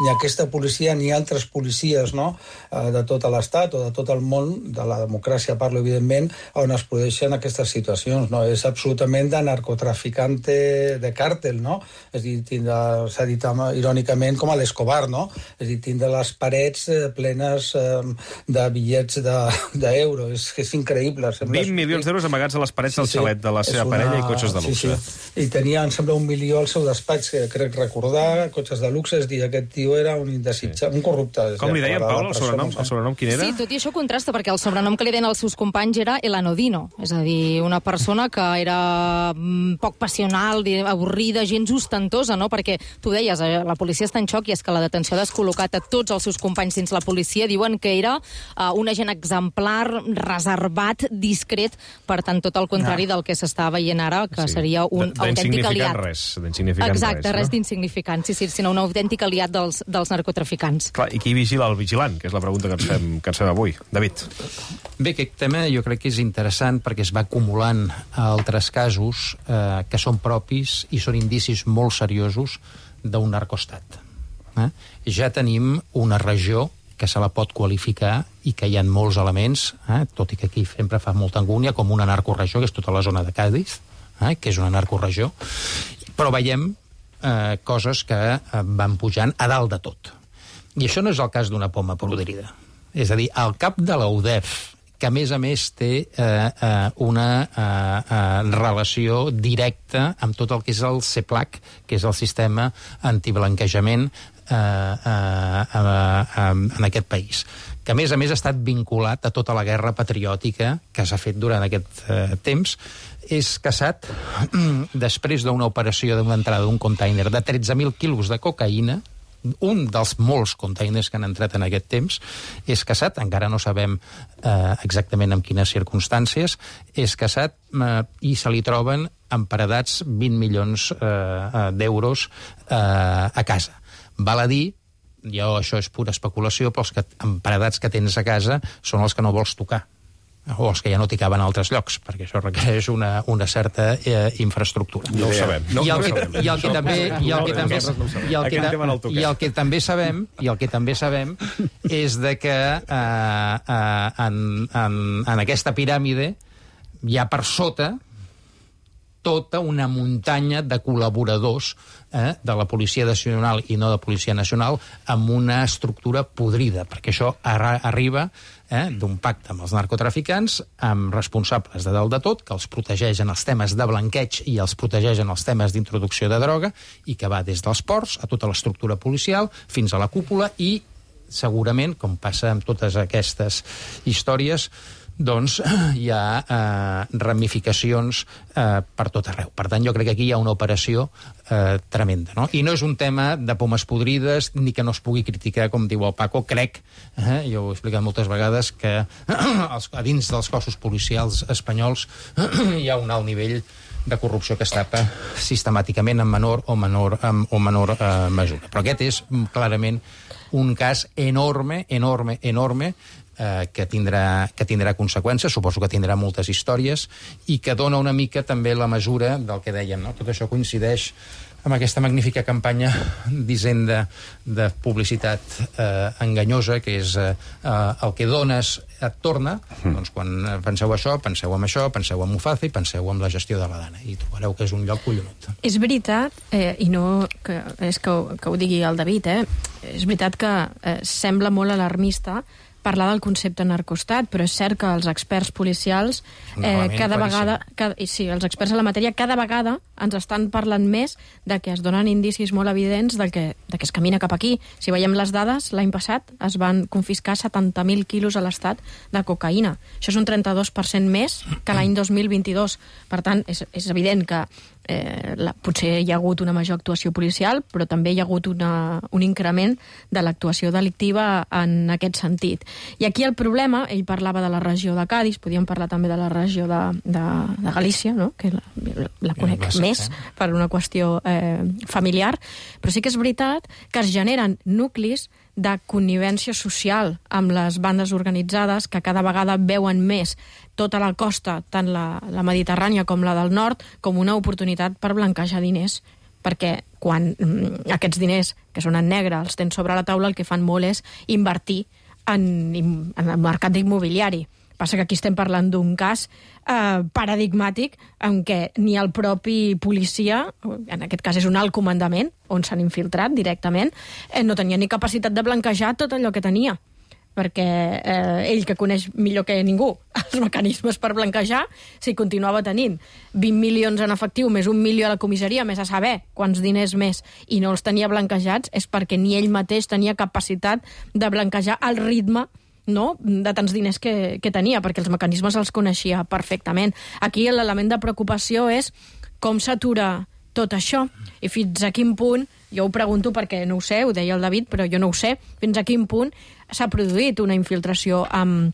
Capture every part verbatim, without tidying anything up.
ni aquesta policia ni altres policies, no?, de tot l'estat o de tot el món, de la democràcia parlo, evidentment, on es produeixen aquestes situacions, no? És absolutament de narcotraficante de càrtel, no? És a dir, tindre, s'ha dit irònicament com a l'Escobar, no? És a dir, tindre les parets plenes de bitllets d'euro. És, és increïble. vint milions d'euros amagats a les parets del xalet de la seva parella i cotxes de luxe. Sí, sí. I tenia, em sembla, un milió al seu despatx, que crec recordar, cotxes de luxe, és dir, aquest tio era un indesitjable, sí. un corrupte. Com li deien, Paula, el sobrenom? El sobrenom quin era? Sí, tot i això contrasta, perquè el sobrenom que li deien als seus companys era El Anodino, és a dir, una persona que era poc passional, avorrida, gens ostentosa, no? Perquè tu deies, la policia està en xoc i és que la detenció ha descol·locat a tots els seus companys dins la policia. Diuen que era uh, un agent exemplar, reservat, discret, per tant, tot el contrari del que s'està veient ara, que sí. seria un autèntic aliat. Res, d'insignificant res. Exacte, res, res no? d'insignificant, sí, sí, sinó un autèntic aliat dels, dels narcotraficants. Clar, i qui vigila el vigilant, que és la pregunta que ens fem, que ens fem avui. David. Bé, aquest tema jo crec que és interessant perquè es va acumulant a altres casos eh, que són propis i són indicis molt seriosos d'un narcoestat. Eh? Ja tenim una regió que se la pot qualificar i que hi ha molts elements, eh, tot i que aquí sempre fa molta angúnia, com una narcoregió, que és tota la zona de Cádiz, eh, que és una narcoregió, però veiem eh, coses que eh, van pujant a dalt de tot. I això no és el cas d'una poma podrida. És a dir, al cap de la U D E F, que a més a més té eh, eh, una eh, eh, relació directa amb tot el que és el CEPLAC, que és el sistema antiblanquejament eh, eh, eh, en aquest país, que a més a més ha estat vinculat a tota la guerra patriòtica que s'ha fet durant aquest eh, temps. És caçat després d'una operació d'una entrada d'un container de tretze mil quilos de cocaïna, un dels molts containers que han entrat en aquest temps, és caçat, encara no sabem eh, exactament en quines circumstàncies, és caçat eh, i se li troben emparedats vint milions eh, d'euros eh, a casa. Val a dir, jo això és pura especulació, però els que, emparedats que tens a casa són els que no vols tocar, o els que ja no t'hi caben a altres llocs, perquè això requereix una, una certa eh, infraestructura. No ho sabem. No, I el no que, sabem. i el que també i el que també i el que, i el que també sabem i el que també sabem és de que eh, eh, en, en, en aquesta piràmide hi ha per sota tota una muntanya de col·laboradors eh, de la Policia Nacional i no de Policia Nacional amb una estructura podrida, perquè això arra arriba eh, d'un pacte amb els narcotraficants, amb responsables de dalt de tot, que els protegeix en els temes de blanqueig i els protegeix en els temes d'introducció de droga, i que va des dels ports a tota l'estructura policial fins a la cúpula, i segurament, com passa amb totes aquestes històries, doncs hi ha eh, ramificacions eh, per tot arreu. Per tant, jo crec que aquí hi ha una operació eh, tremenda, no? I no és un tema de pomes podrides ni que no es pugui criticar, com diu el Paco. Crec, eh, jo ho he explicat moltes vegades, que els, a dins dels cossos policials espanyols hi ha un alt nivell de corrupció que es tapa sistemàticament en menor o menor, en, o menor eh, mesura. Però aquest és clarament un cas enorme, enorme, enorme, Eh, que, tindrà, que tindrà conseqüències, suposo que tindrà moltes històries, i que dona una mica també la mesura del que dèiem, no? Tot això coincideix amb aquesta magnífica campanya d'Hisenda de publicitat eh, enganyosa, que és eh, el que dones et torna. Mm. Doncs quan penseu això, penseu en això, penseu en Mufaza i penseu en la gestió de la Dana, i trobareu que és un lloc collonut. És veritat, eh, i no que, és que, ho, que ho digui el David, eh? És veritat que eh, sembla molt alarmista parlar del concepte narcoestat, però és cert que els experts policials eh, cada vegada, cada, sí, els experts en la matèria cada vegada ens estan parlant més de que es donen indicis molt evidents de que, de que es camina cap aquí. Si veiem les dades, l'any passat es van confiscar setanta mil quilos a l'Estat de cocaïna. Això és un trenta-dos per cent més que l'any dos mil vint-i-dos. Per tant, és, és evident que eh, la, potser hi ha hagut una major actuació policial, però també hi ha hagut una, un increment de l'actuació delictiva en aquest sentit. I aquí el problema, ell parlava de la regió de Cádiz, podíem parlar també de la regió de, de, de Galícia, no? Que la, la conec ja, més per una qüestió eh, familiar, però sí que és veritat que es generen nuclis de connivència social amb les bandes organitzades que cada vegada veuen més tota la costa, tant la, la Mediterrània com la del nord, com una oportunitat per blanquejar diners, perquè quan mm, aquests diners, que són en negre, els tens sobre la taula, el que fan molt és invertir en, en el mercat immobiliari. Passa que aquí estem parlant d'un cas eh, paradigmàtic en què ni el propi policia, en aquest cas és un alt comandament, on s'han infiltrat directament, eh, no tenia ni capacitat de blanquejar tot allò que tenia, perquè eh, ell, que coneix millor que ningú els mecanismes per blanquejar, si continuava tenint vint milions en efectiu més un milió a la comissaria, més a saber quants diners més, i no els tenia blanquejats, és perquè ni ell mateix tenia capacitat de blanquejar al ritme, no?, de tants diners que, que tenia, perquè els mecanismes els coneixia perfectament. Aquí l'element de preocupació és com s'atura tot això i fins a quin punt, jo ho pregunto perquè no ho sé, ho deia el David, però jo no ho sé, fins a quin punt s'ha produït una infiltració amb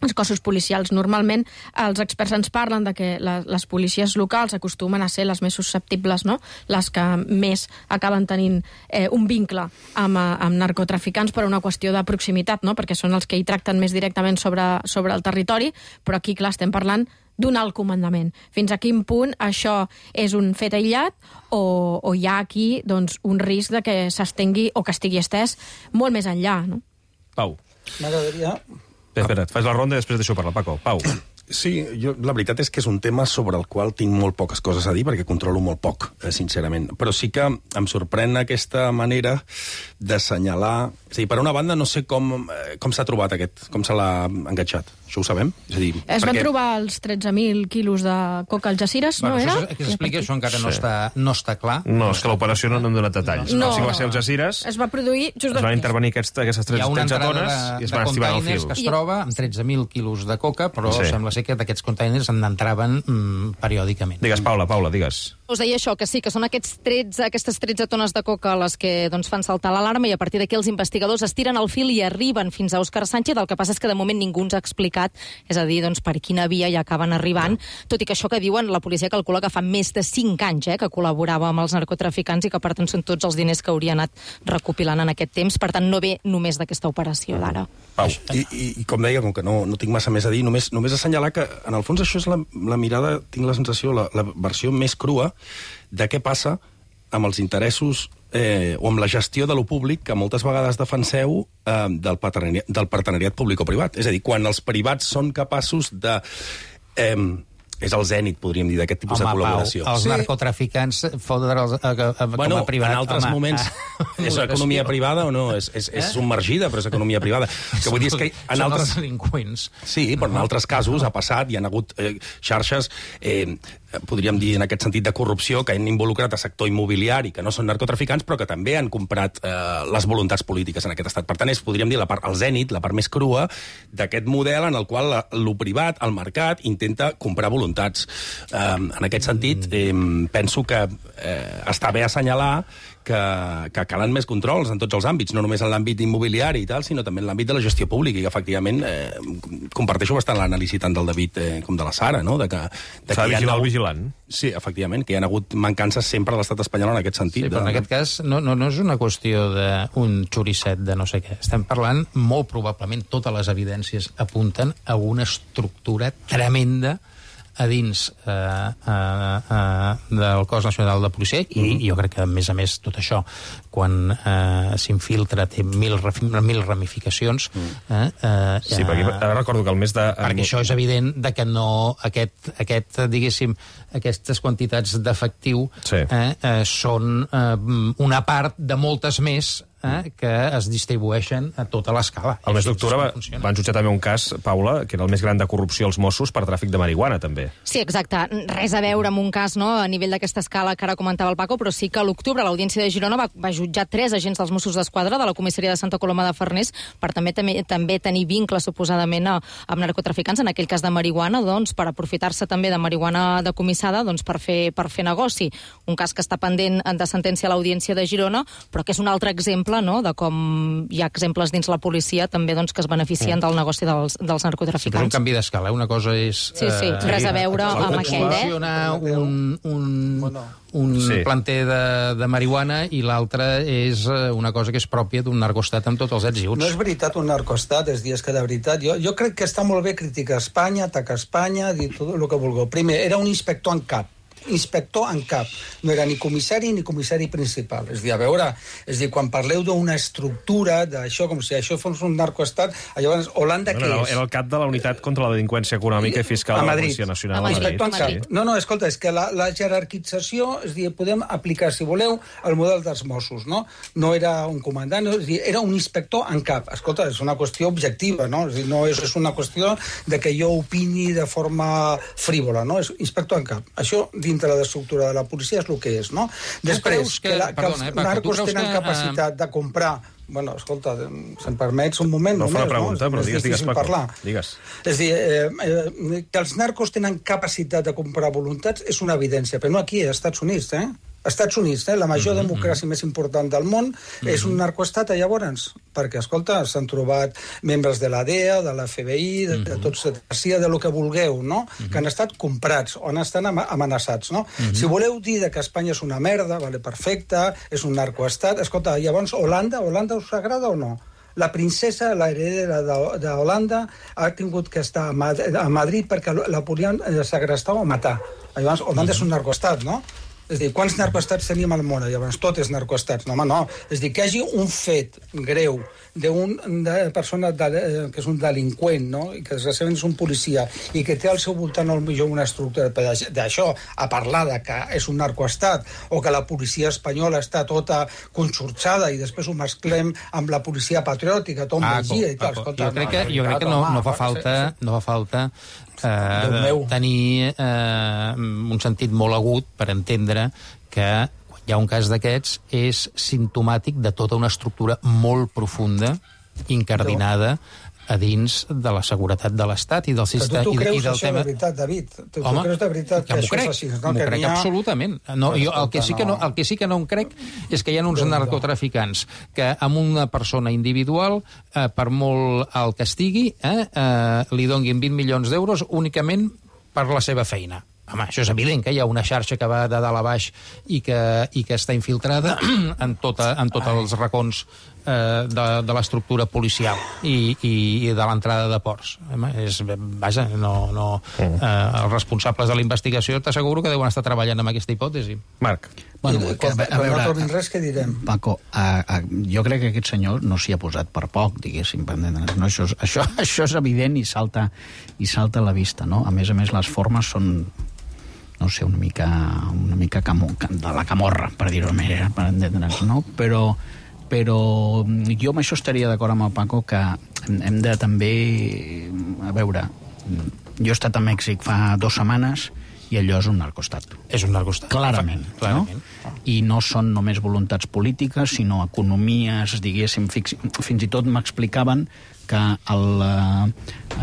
els cossos policials. Normalment els experts ens parlen de que les, les policies locals acostumen a ser les més susceptibles, no?, les que més acaben tenint eh, un vincle amb, amb narcotraficants per una qüestió de proximitat, no?, perquè són els que hi tracten més directament sobre, sobre el territori, però aquí, clar, estem parlant d'un alt comandament. Fins a quin punt això és un fet aïllat o, o hi ha aquí doncs, un risc de que s'estengui o que estigui estès molt més enllà, no? Pau. M'agradaria... Espera, espera, fas la ronda i després deixo parlar, Paco. Pau. Sí, jo, la veritat és que és un tema sobre el qual tinc molt poques coses a dir, perquè controlo molt poc, eh, sincerament. Però sí que em sorprèn aquesta manera d'assenyalar... És a dir, per una banda, no sé com, eh, com s'ha trobat aquest, com se l'ha enganxat. Això ho sabem? És a dir, es perquè... van trobar els tretze mil quilos de coca al Algeciras, bueno, no era? Això, que s'expliqui, això encara sí. no, està, no està clar. No, és que l'operació no n'hem donat detalls. No, no, sí que va ser als Algeciras. Es va produir just es van intervenir aquests, aquestes tretze tones de, i es van estivar el fil. Que es troba amb tretze mil quilos de coca, però sí. sembla ser que d'aquests containers en entraven mm, periòdicament. Digues, Paula, Paula, digues. Us deia això, que sí, que són aquests tretze, aquestes tretze tones de coca les que doncs, fan saltar l'alarma i a partir d'aquí els investigadors estiren el fil i arriben fins a Òscar Sánchez. El que passa és que de moment ningú ens ha explicat, és a dir, doncs, per quina via hi acaben arribant, no. Tot i que això que diuen, la policia calcula que fa més de cinc anys eh, que col·laborava amb els narcotraficants i que per tant són tots els diners que hauria anat recopilant en aquest temps. Per tant, no ve només d'aquesta operació d'ara. Pau, i, i, i com deia, com que no, no tinc massa més a dir, només, només assenyalar que en el fons això és la, la mirada, tinc la sensació, la, la versió més crua de què passa amb els interessos eh, o amb la gestió de lo públic que moltes vegades defenseu eh, del, partenariat, del partenariat públic-privat. És a dir, quan els privats són capaços de... Eh, és el zènit, podríem dir, d'aquest tipus home, de col·laboració. Pau, els sí. narcotraficants fotre'ls a, a, a, bueno, com a privat. En altres home, moments a... és economia privada o no? És, és, és eh? submergida, però és economia privada. Que vull dir és que en són altres... els delinqüents. Sí, però en altres casos ha passat, hi ha hagut eh, xarxes, eh, podríem dir en aquest sentit de corrupció, que han involucrat a sector immobiliari, que no són narcotraficants, però que també han comprat eh, les voluntats polítiques en aquest estat. Per tant, és, podríem dir, la part, el zènit, la part més crua d'aquest model en el qual la, lo privat, el mercat, intenta comprar voluntats. Um, en aquest sentit, eh, penso que eh, està bé assenyalar que, que calen més controls en tots els àmbits, no només en l'àmbit immobiliari i tal, sinó també en l'àmbit de la gestió pública, i efectivament eh, comparteixo bastant l'anàlisi tant del David eh, com de la Sara, no? De que, de S'ha de vigilar el hagut... vigilant. Sí, efectivament, que hi ha hagut mancances sempre a l'estat espanyol en aquest sentit. Sí, però de... en aquest cas no, no, no és una qüestió d'un xoricet de no sé què. Estem parlant, molt probablement, totes les evidències apunten a una estructura tremenda a dins eh, eh, eh, del cos nacional de policia, i mm. jo crec que, a més a més, tot això, quan eh, s'infiltra, té mil, mil ramificacions. Mm. Eh, eh, sí, perquè ara recordo que el mes de... Perquè això és evident de que no... Aquest, aquest diguéssim, aquestes quantitats d'efectiu sí. eh, eh, són eh, una part de moltes més eh, que es distribueixen a tota l'escala. El mes d'octubre va, van jutjar també un cas, Paula, que era el més gran de corrupció als Mossos per tràfic de marihuana, també. Sí, exacte. Res a veure amb un cas, no?, a nivell d'aquesta escala que ara comentava el Paco, però sí que a l'octubre l'Audiència de Girona va, va jutjar tres agents dels Mossos d'Esquadra de la comissaria de Santa Coloma de Farners per també també, també tenir vincles, suposadament, a, amb narcotraficants, en aquell cas de marihuana, doncs, per aprofitar-se també de marihuana decomissada, doncs, per fer, per fer negoci. Un cas que està pendent de sentència a l'Audiència de Girona, però que és un altre exemple, no?, de com hi ha exemples dins la policia també, doncs, que es beneficien mm. del negoci dels, dels narcotraficants. Sí, és un canvi d'escala. Una cosa és... Sí, sí, eh, res a veure eh, amb aquest, eh? un, un, un sí. planter de, de marihuana i l'altra és una cosa que és pròpia d'un narcostat amb tots els ets i uts. No és veritat un narcostat, és dir, és que de veritat... Jo, jo crec que està molt bé criticar Espanya, atacar Espanya, dir tot el que vulgueu. Primer, era un inspector en cap. inspector en cap. No era ni comissari ni comissari principal. És a dir, a veure, és a dir, quan parleu d'una estructura d'això, com si això fos un narcoestat, llavors, Holanda què no, no, és? Era el cap de la unitat contra la delinqüència econòmica i fiscal de la Policia Nacional a Madrid. A Madrid. No, no, escolta, és que la, la jerarquització, és a dir, podem aplicar, si voleu, el model dels Mossos, no? No era un comandant, no, és a dir, era un inspector en cap. Escolta, és una qüestió objectiva, no? És a dir, no és, és una qüestió de que jo opini de forma frívola, no? És inspector en cap. Això, dintre de l'estructura de la policia, és el que és, no? Després, que, que, la, que els narcos tenen que, capacitat de comprar... Bueno, escolta, si em permets un moment no només, fa la pregunta, no? Però digues, digues, Paco. Parlar. Digues. És a dir, eh, eh, que els narcos tenen capacitat de comprar voluntats és una evidència, però no aquí, als Estats Units, eh? Als Estats Units, eh? La major mm-hmm. democràcia més important del món mm-hmm. és un narcoestat, llavors, perquè, escolta, s'han trobat membres de la D E A, de la F B I, de, mm-hmm. de tots, de, de lo que vulgueu, no? Mm-hmm. Que han estat comprats o han estat amenaçats, no? Mm-hmm. Si voleu dir que Espanya és una merda, vale, perfecte, és un narcoestat, escolta, llavors Holanda, Holanda us agrada o no? La princesa, la heredera d'Holanda, ha tingut que estar a, Mad a Madrid perquè la podien segrestar o matar. Llavors, Holanda mm-hmm. és un narcoestat, no? És a dir, quants narcoestats tenim al món? Llavors, tot és narcoestats. No, home, no. És a dir, que hi hagi un fet greu d'una persona de, que és un delinqüent, no? I que desgraciadament és un policia, i que té al seu voltant potser una estructura d'això, a parlar de que és un narcoestat, o que la policia espanyola està tota conxorxada i després ho mesclem amb la policia patriòtica, Tom Mejía i tal. Escolta, jo crec que, jo crec que no, no fa falta, no fa falta eh, tenir eh, un sentit molt agut per entendre que quan hi ha un cas d'aquests és simptomàtic de tota una estructura molt profunda, incardinada a dins de la seguretat de l'Estat i del sistema. Tu, tu creus i del això tema... de veritat, David? Tu, Home, tu creus de veritat que, que això crec, és així? No? M'ho Que crec ha... absolutament. No, jo, el, que sí que no, el que sí que no em crec és que hi ha uns narcotraficants que amb una persona individual, eh, per molt alt que estigui, eh, eh, li donguin vint milions d'euros únicament per la seva feina. Home, això és evident, que hi ha una xarxa que va de dalt a baix i que, i que està infiltrada en, tota, en tots els racons eh, de, de l'estructura policial i, i, i de l'entrada de ports. Home, és, vaja, no, no, eh, els responsables de la investigació t'asseguro que deuen estar treballant amb aquesta hipòtesi. Marc. Bueno, I, quan, a, a veure, no trobin res, què direm? Paco, a, a, jo crec que aquest senyor no s'hi ha posat per poc, diguéssim. No, això, això, això és evident i salta, i salta a la vista, no? A més a més, les formes són, no sé, una mica, una mica camo, de la camorra, per dir-ho més, per entendre'ns, no? Però, però jo amb això estaria d'acord amb el Paco, que hem de també, a veure, jo he estat a Mèxic fa dues setmanes i allò és un narcoestat. És un narcoestat. Clarament, clarament. No? I no són només voluntats polítiques, sinó economies, diguéssim, fix... fins i tot m'explicaven que el, eh,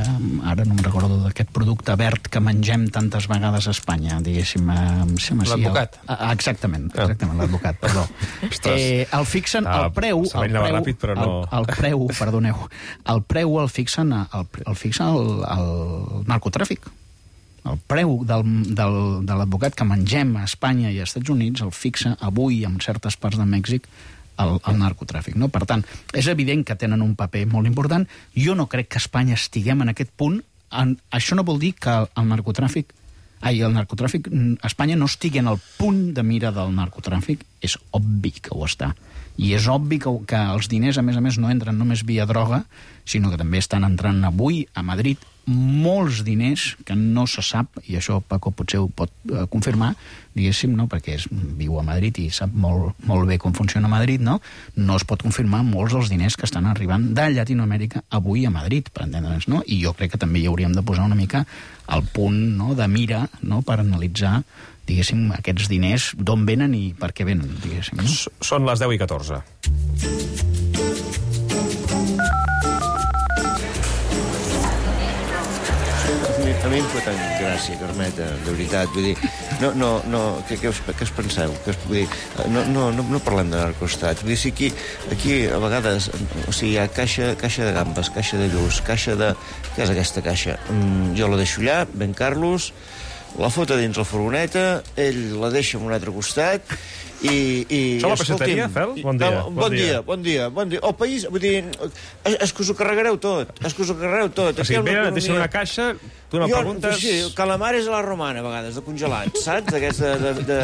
ara no em recordo d'aquest producte verd que mengem tantes vegades a Espanya, diguéssim... Eh, l'advocat. El, exactament, exactament, l'advocat, perdó. Eh, el fixen, el preu... El preu, ràpid, però no... el, el preu, perdoneu, el preu el fixen el, el, fixen el, el narcotràfic. El preu del, del, de l'advocat que mengem a Espanya i als Estats Units el fixa avui en certes parts de Mèxic el, el narcotràfic. No? Per tant, és evident que tenen un paper molt important. Jo no crec que a Espanya estiguem en aquest punt. En, això no vol dir que el, el narcotràfic ai, el narcotràfic a Espanya no estigui en el punt de mira del narcotràfic. És obvi que ho està. I és obvi que, que els diners, a més a més, no entren només via droga, sinó que també estan entrant avui a Madrid molts diners que no se sap, i això Paco potser ho pot eh, confirmar, diguéssim, no? Perquè és, viu a Madrid i sap molt, molt bé com funciona Madrid, no? No es pot confirmar molts dels diners que estan arribant de Llatinoamèrica avui a Madrid, per entendre'ns, no? I jo crec que també hi hauríem de posar una mica al punt, no?, de mira, no?, per analitzar, diguéssim, aquests diners, d'on venen i per què venen, diguéssim. No? Són les deu i catorze. A mi em fa tant gràcia, Carmeta, de veritat. Vull dir, no, no, no, què, què, us, què us penseu? Què us, vull dir, no, no, no, no parlem de narcoestat. Vull dir, si aquí, aquí a vegades, o sigui, hi ha caixa, caixa de gambes, caixa de lluç, caixa de... Què és aquesta caixa? Mm, jo la deixo allà, Ben Carlos, la fota dins la furgoneta, ell la deixa en un altre costat I, i, Som a la peixateria, Fel? Bon dia. No, bon, bon dia. dia, bon dia, bon dia. El país, vull dir, és, és que us ho carregareu tot, és que us ho carregareu tot. O sigui, ve, et deixen una caixa, tu no jo, preguntes... Sí, calamares a la romana, a vegades, de congelats, saps? D'aquests de, de, de...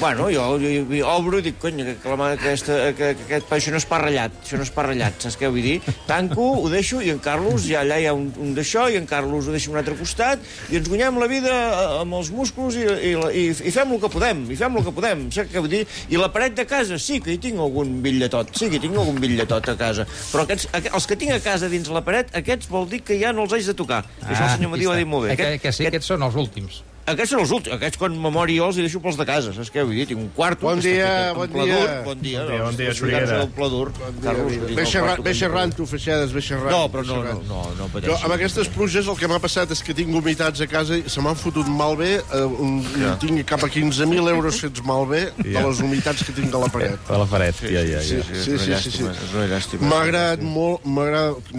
Bueno, jo, jo, jo obro i dic, cony, que, calamar, aquesta, que, que aquest pa, això no és pa ratllat, això no és pa ratllat, saps què vull dir? Tanco, ho deixo, i en Carlos, ja allà hi ha un, un d'això, i en Carlos ho deixa a un altre costat, i ens guanyem la vida amb els músculs i, i, i, i fem el que podem, i fem el que podem, saps què vull dir? I la paret de casa, sí que hi tinc algun bitlletot, sí que hi tinc algun bitlletot a casa, però aquests, els que tinc a casa dins la paret, aquests vol dir que ja no els haig de tocar. Ah, això el senyor Matí ho ha dit molt bé. Que, que sí, aquests són els últims. Aquests són els últims. Aquests, quan me mori jo, els hi deixo pels de casa. Saps què vull dir? Tinc un quarto... Bon dia, bon dia. Bon dia, bon dia, bon dia, Xuriguera. Ve xerrant, ve xerrant, tu, Feixedes, ve xerrant. No, però no, no, no, no pateixi. Amb aquestes pluges el que m'ha passat és que tinc humitats a casa i se m'han fotut malbé, eh, un, ja. tinc cap a quinze mil euros fets malbé de les humitats que tinc a la paret. A la paret, sí, ja, ja. Sí, sí, sí. sí, sí, sí. M'ha agradat molt, m'ha agradat...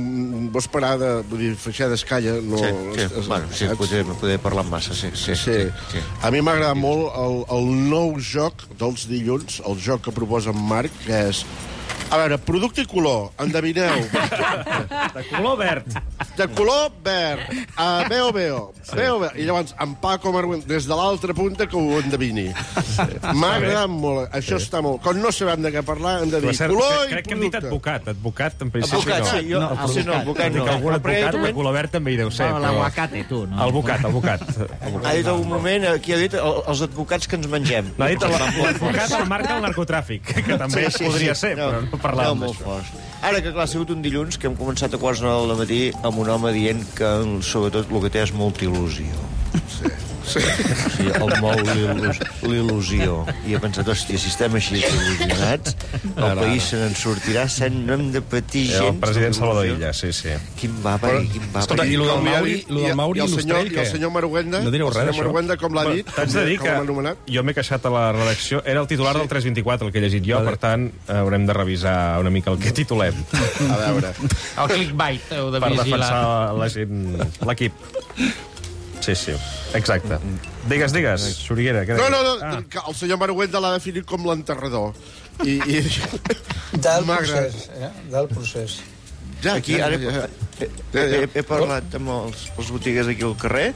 Vos parada, vull dir, Feixedes, calla. No, sí, sí, es, bueno, sí, poder, poder parlar massa, sí, sí. sí. sí. A mi m'agrada molt el, el nou joc dels dilluns, el joc que proposa en Marc, que és... A veure, producte i color, endevineu. De color verd. De color verd. Uh, veo, veo. Sí. Veo, veo. I llavors, en Paco Marguent, des de l'altra punta, que ho endevini. Sí. M'ha agradat molt. Això sí. Està molt... Quan no sabem de què parlar, hem de dir cert, color crec, i crec que hem dit advocat. Advocat, en principi, advocat, no. Sí, jo, no, el sí, no, advocat no. Algun advocat de color verd també hi deu ser. Però... L'aguacate, tu, no? El bocat, el bocat. Ha dit algun moment, aquí ha dit els advocats que ens mengem. No, ha dit l'advocat el marca del narcotràfic, que també sí, sí, podria sí. ser, no, però no parlàvem no, d'això. Ara que, clar, ha sigut un dilluns que hem començat a quarts nou del matí amb un home dient que, sobretot, el que té és molta il·lusió. Sí. Sí. Sí, el mou l'il·lusió. I he pensat, hòstia, si estem així il·lusionats, el país se n'en sortirà, no hem de patir gens. El president Salvador Illa, sí, sí. Quin va, Però, quin va. Escolta, i el del Mauri i el Mauri Lustrell, què? I el senyor Maruenda, no direu res, el senyor Maruenda, com l'ha dit? T'haig de dir que jo m'he queixat a la redacció, era el titular del tres vint-i-quatre, el que he llegit jo, per tant, haurem de revisar una mica el que titulem. A veure. El clickbait heu de vigilar. Per vigilar. defensar la gent, l'equip. Sí, sí, exacte. Digues, digues, Xuriguera. No, no, no, ah. el senyor Maruenda l'ha definit com l'enterrador. I, i... Del procés, eh? Del procés. Ja, aquí, ara he, he, he, he parlat amb els, els botiguers aquí al carrer,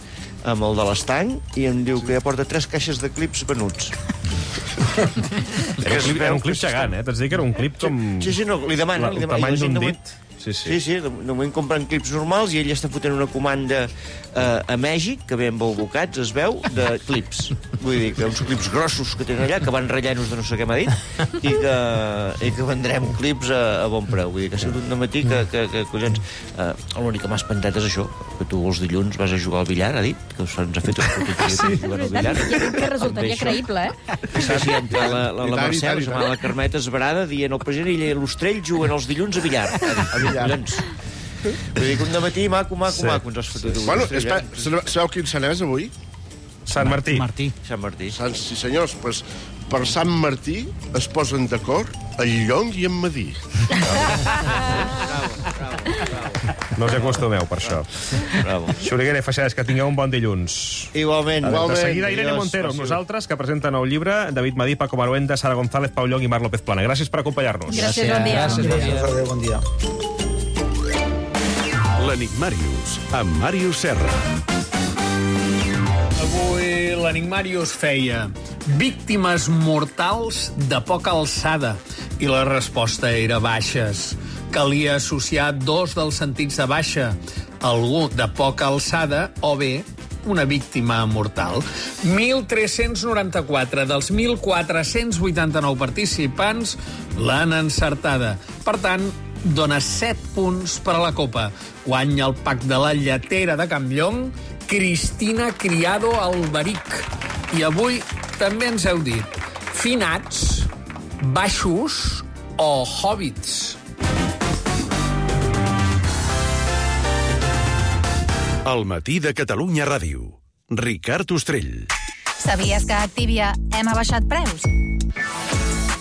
amb el de l'estany, i em diu que ja porta tres caixes de clips venuts. Era un clip, era un clip gegant, eh? T'haig de dir que era un clip com... Sí, sí, no, li demano. El tamany d'un dit. Sí, sí. Sí, sí, de, de moment compren clips normals i ell està fotent una comanda eh, a Mèxic, que ve amb albocats, es veu, de clips. Vull dir, que uns clips grossos que tenen allà, que van rellenos de no sé què m'ha dit, i que, i que vendrem clips a, a bon preu. Vull dir, que ha sigut un dematí que, que, que collons... Eh, l'únic que m'ha espantat és això, que tu els dilluns vas a jugar al billar, ha dit, que se'ns ha fet una fotografies sí. jugant al billar. Que resultaria creïble, eh? Sí, sí, entre la, la, la Mercè, la, la Carmeta Esbarada, dient el president i l'Ostrell juguen els dilluns a billar. A billar. Collons. Vull dir que un dematí maco, maco, sí. maco ens has fotut. Bueno, espera, sabeu quin sant és avui? Sant Martí. Martí. Sant Martí. Sant, sí, senyors, pues, per Sant Martí es posen d'acord en Llong i en Madí. Bravo, bravo, bravo. No us acostumeu per això. Bravo. Xuriguera i Feixades, que tingueu un bon dilluns. Igualment. De seguida, Irene Montero, amb nosaltres, que presenta nou llibre, David Madí, Paco Maruenda, Sara González, Pau Llong i Marc López Plana. Gràcies per acompanyar-nos. Gràcies, bon dia. Gràcies, bon dia. Gràcies, bon dia. L'Enigmàrius, amb Màrius Serra. Avui l'Enigmàrius feia víctimes mortals de poca alçada i la resposta era baixes. Calia associar dos dels sentits de baixa, algú de poca alçada o bé una víctima mortal. mil tres-cents noranta-quatre dels mil quatre-cents vuitanta-nou participants l'han encertada. Per tant, dona set punts per a la Copa. Guanya el pack de la lletera de Campllong, Cristina Criado Alberic. I avui també ens heu dit finats, baixos o hobbits. El matí de Catalunya Ràdio. Ricard Ostrell. Sabies que a Activia hem abaixat preus?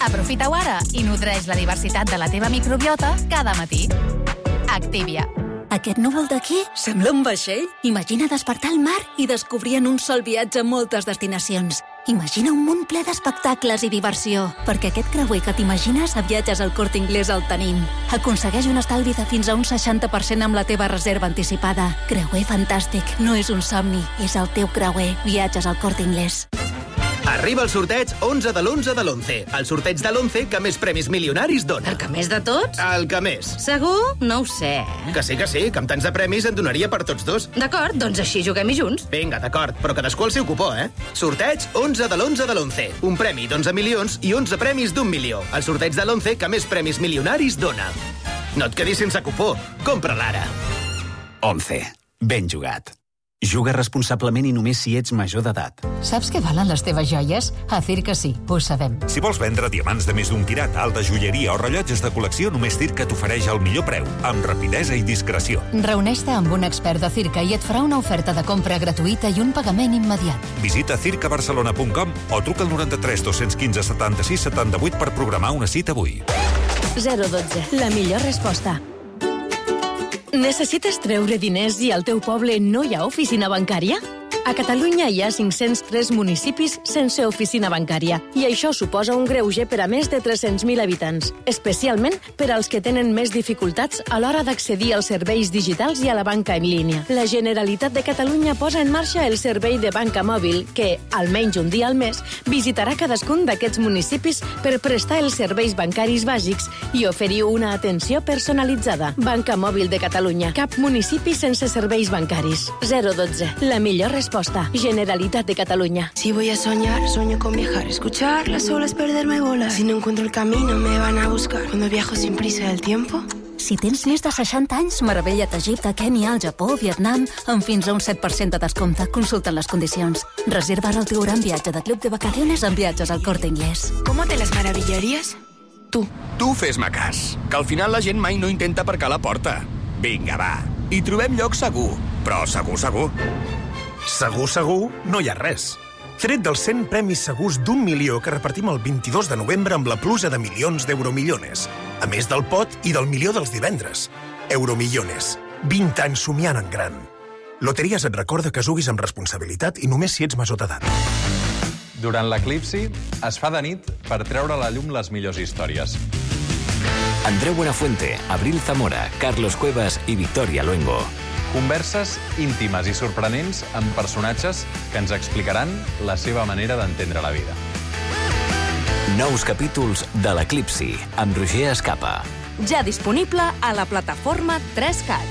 Aprofita-ho ara i nodreix la diversitat de la teva microbiota cada matí. Activia. Aquest núvol d'aquí sembla un vaixell. Imagina despertar al mar i descobrir en un sol viatge moltes destinacions. Imagina un món ple d'espectacles i diversió, perquè aquest creuer que t'imagines a Viatges al Corte Inglés el tenim. Aconsegueix un estalvi de fins a un seixanta per cent amb la teva reserva anticipada. Creuer fantàstic, no és un somni, és el teu creuer. Viatges al Corte Inglés. Arriba el sorteig onze de l'onze de l'onze. El sorteig de l'onze que més premis milionaris dona. El que més de tots? El que més. Segur? No ho sé. Que sí, que sí, que amb tants de premis en donaria per tots dos. D'acord, doncs així juguem-hi junts. Vinga, d'acord, però cadascú el seu cupó, eh? Sorteig onze de l'onze de l'onze. Un premi d'onze milions i onze premis d'un milió. El sorteig de l'onze que més premis milionaris dona. No et quedis sense cupó. Compra-la ara. onze. Ben jugat. Juga responsablement i només si ets major d'edat. Saps què valen les teves joies? A Circa sí, ho sabem. Si vols vendre diamants de més d'un quirat, alta joieria o rellotges de col·lecció, només Circa t'ofereix el millor preu, amb rapidesa i discreció. Reuneix-te amb un expert de Circa i et farà una oferta de compra gratuïta i un pagament immediat. Visita circa barcelona punt com o truca al noranta-tres dos-cents quinze setanta-sis setanta-vuit per programar una cita avui. zero dotze. La millor resposta. Necessites treure diners i al teu poble no hi ha oficina bancària? A Catalunya hi ha cinc-cents tres municipis sense oficina bancària i això suposa un greuge per a més de tres-cents mil habitants, especialment per als que tenen més dificultats a l'hora d'accedir als serveis digitals i a la banca en línia. La Generalitat de Catalunya posa en marxa el servei de banca mòbil que, almenys un dia al mes, visitarà cadascun d'aquests municipis per prestar els serveis bancaris bàsics i oferir una atenció personalitzada. Banca Mòbil de Catalunya. Cap municipi sense serveis bancaris. zero dotze. La millor resposta. Generalitat de Catalunya. Si voy a soñar, sueño con viajar. Escuchar las olas, perderme, volar. Si no encuentro el camino, me van a buscar. Cuando viajo sin prisa del tiempo... Si tens més de seixanta anys, meravella't a Egipte, Kènia, el Japó, Vietnam, amb fins a un set per cent de descompte. Consulta les condicions. Reserva el teu gran viatge de club de vacaciones amb Viatges al Corte Inglés. ¿Cómo te las maravillarías? Tu. Tu fes-me cas, que al final la gent mai no intenta aparcar la porta. Vinga, va. I trobem lloc segur, però segur, segur. Segur, segur, no hi ha res. Tret dels cent premis segurs d'un milió que repartim el vint-i-dos de novembre amb la pluja de milions d'euromillones. A més del pot i del milió dels divendres. Euromillones. vint anys somiant en gran. Loteries et recorda que juguis amb responsabilitat i només si ets major d'edat. Durant l'eclipsi es fa de nit per treure a la llum les millors històries. Andreu Buenafuente, Abril Zamora, Carlos Cuevas i Victoria Luengo. Converses íntimes i sorprenents amb personatges que ens explicaran la seva manera d'entendre la vida. Nous capítols de l'Eclipsi, amb Roger Escapa. Ja disponible a la plataforma tres cat.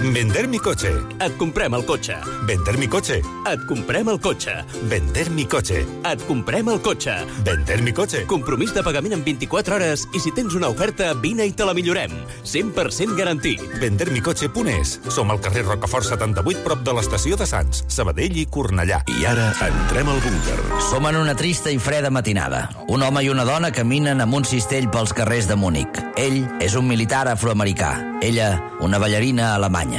Vender mi coche. Et comprem el cotxe. Vender mi coche. Et comprem el cotxe. Vender mi coche. Et comprem el cotxe. Vender mi coche. Compromís de pagament en vint-i-quatre hores i si tens una oferta, vine i te la millorem. cent per cent garantit. vender mi coche punt es. Som al carrer Rocafort setanta-vuit, prop de l'estació de Sants, Sabadell i Cornellà. I ara entrem al búnquer. Som en una trista i freda matinada. Un home i una dona caminen amb un cistell pels carrers de Múnich. Ell és un militar afroamericà. Ella, una ballarina alemanya.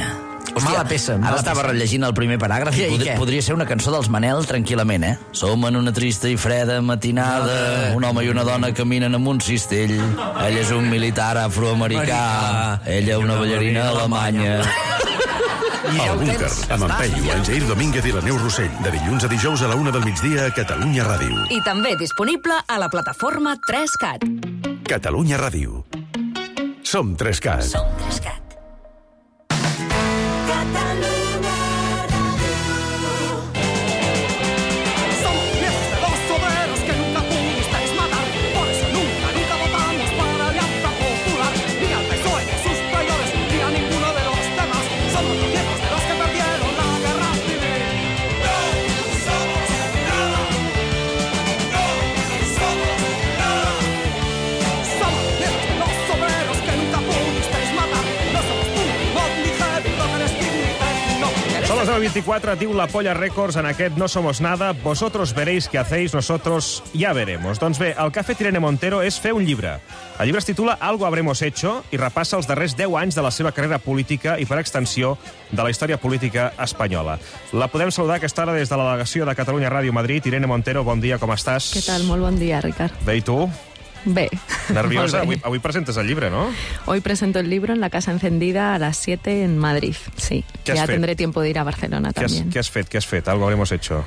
Hòstia, mala peça, mala ara estava peça. rellegint el primer paràgraf i, I podria, què? podria ser una cançó dels Manel tranquil·lament, eh? Som en una trista i freda matinada, un home i una dona caminen amb un cistell. Ell és un militar afroamericà, ella una ballarina alemanya. El búnquer, amb en Peyu, en Jair Domínguez i la Neus Rossell, de dilluns a dijous a la una del migdia a Catalunya Ràdio. I també disponible a la plataforma tres cat. Catalunya Ràdio. Som tres cat. Som tres cat. vint-i-quatre, diu la Polla Records en aquest No Somos Nada, vosotros veréis qué hacéis, nosotros ya veremos. Doncs bé, el que ha fet Irene Montero és fer un llibre. El llibre es titula Algo habremos hecho i repassa els darrers deu anys de la seva carrera política i, per extensió, de la història política espanyola. La podem saludar a aquesta hora des de la delegació de Catalunya Ràdio Madrid. Irene Montero, bon dia, com estàs? Què tal? Molt bon dia, Ricard. Bé, i tu? Bé. Nerviosa? Avui, avui presentes el llibre, ¿no? Hoy presento el libro en la Casa Encendida a las siete en Madrid, sí. Ya fet? Tendré tiempo de ir a Barcelona ¿Qué también. Has, ¿Qué has fet? ¿Qué has fet? Algo habremos hecho.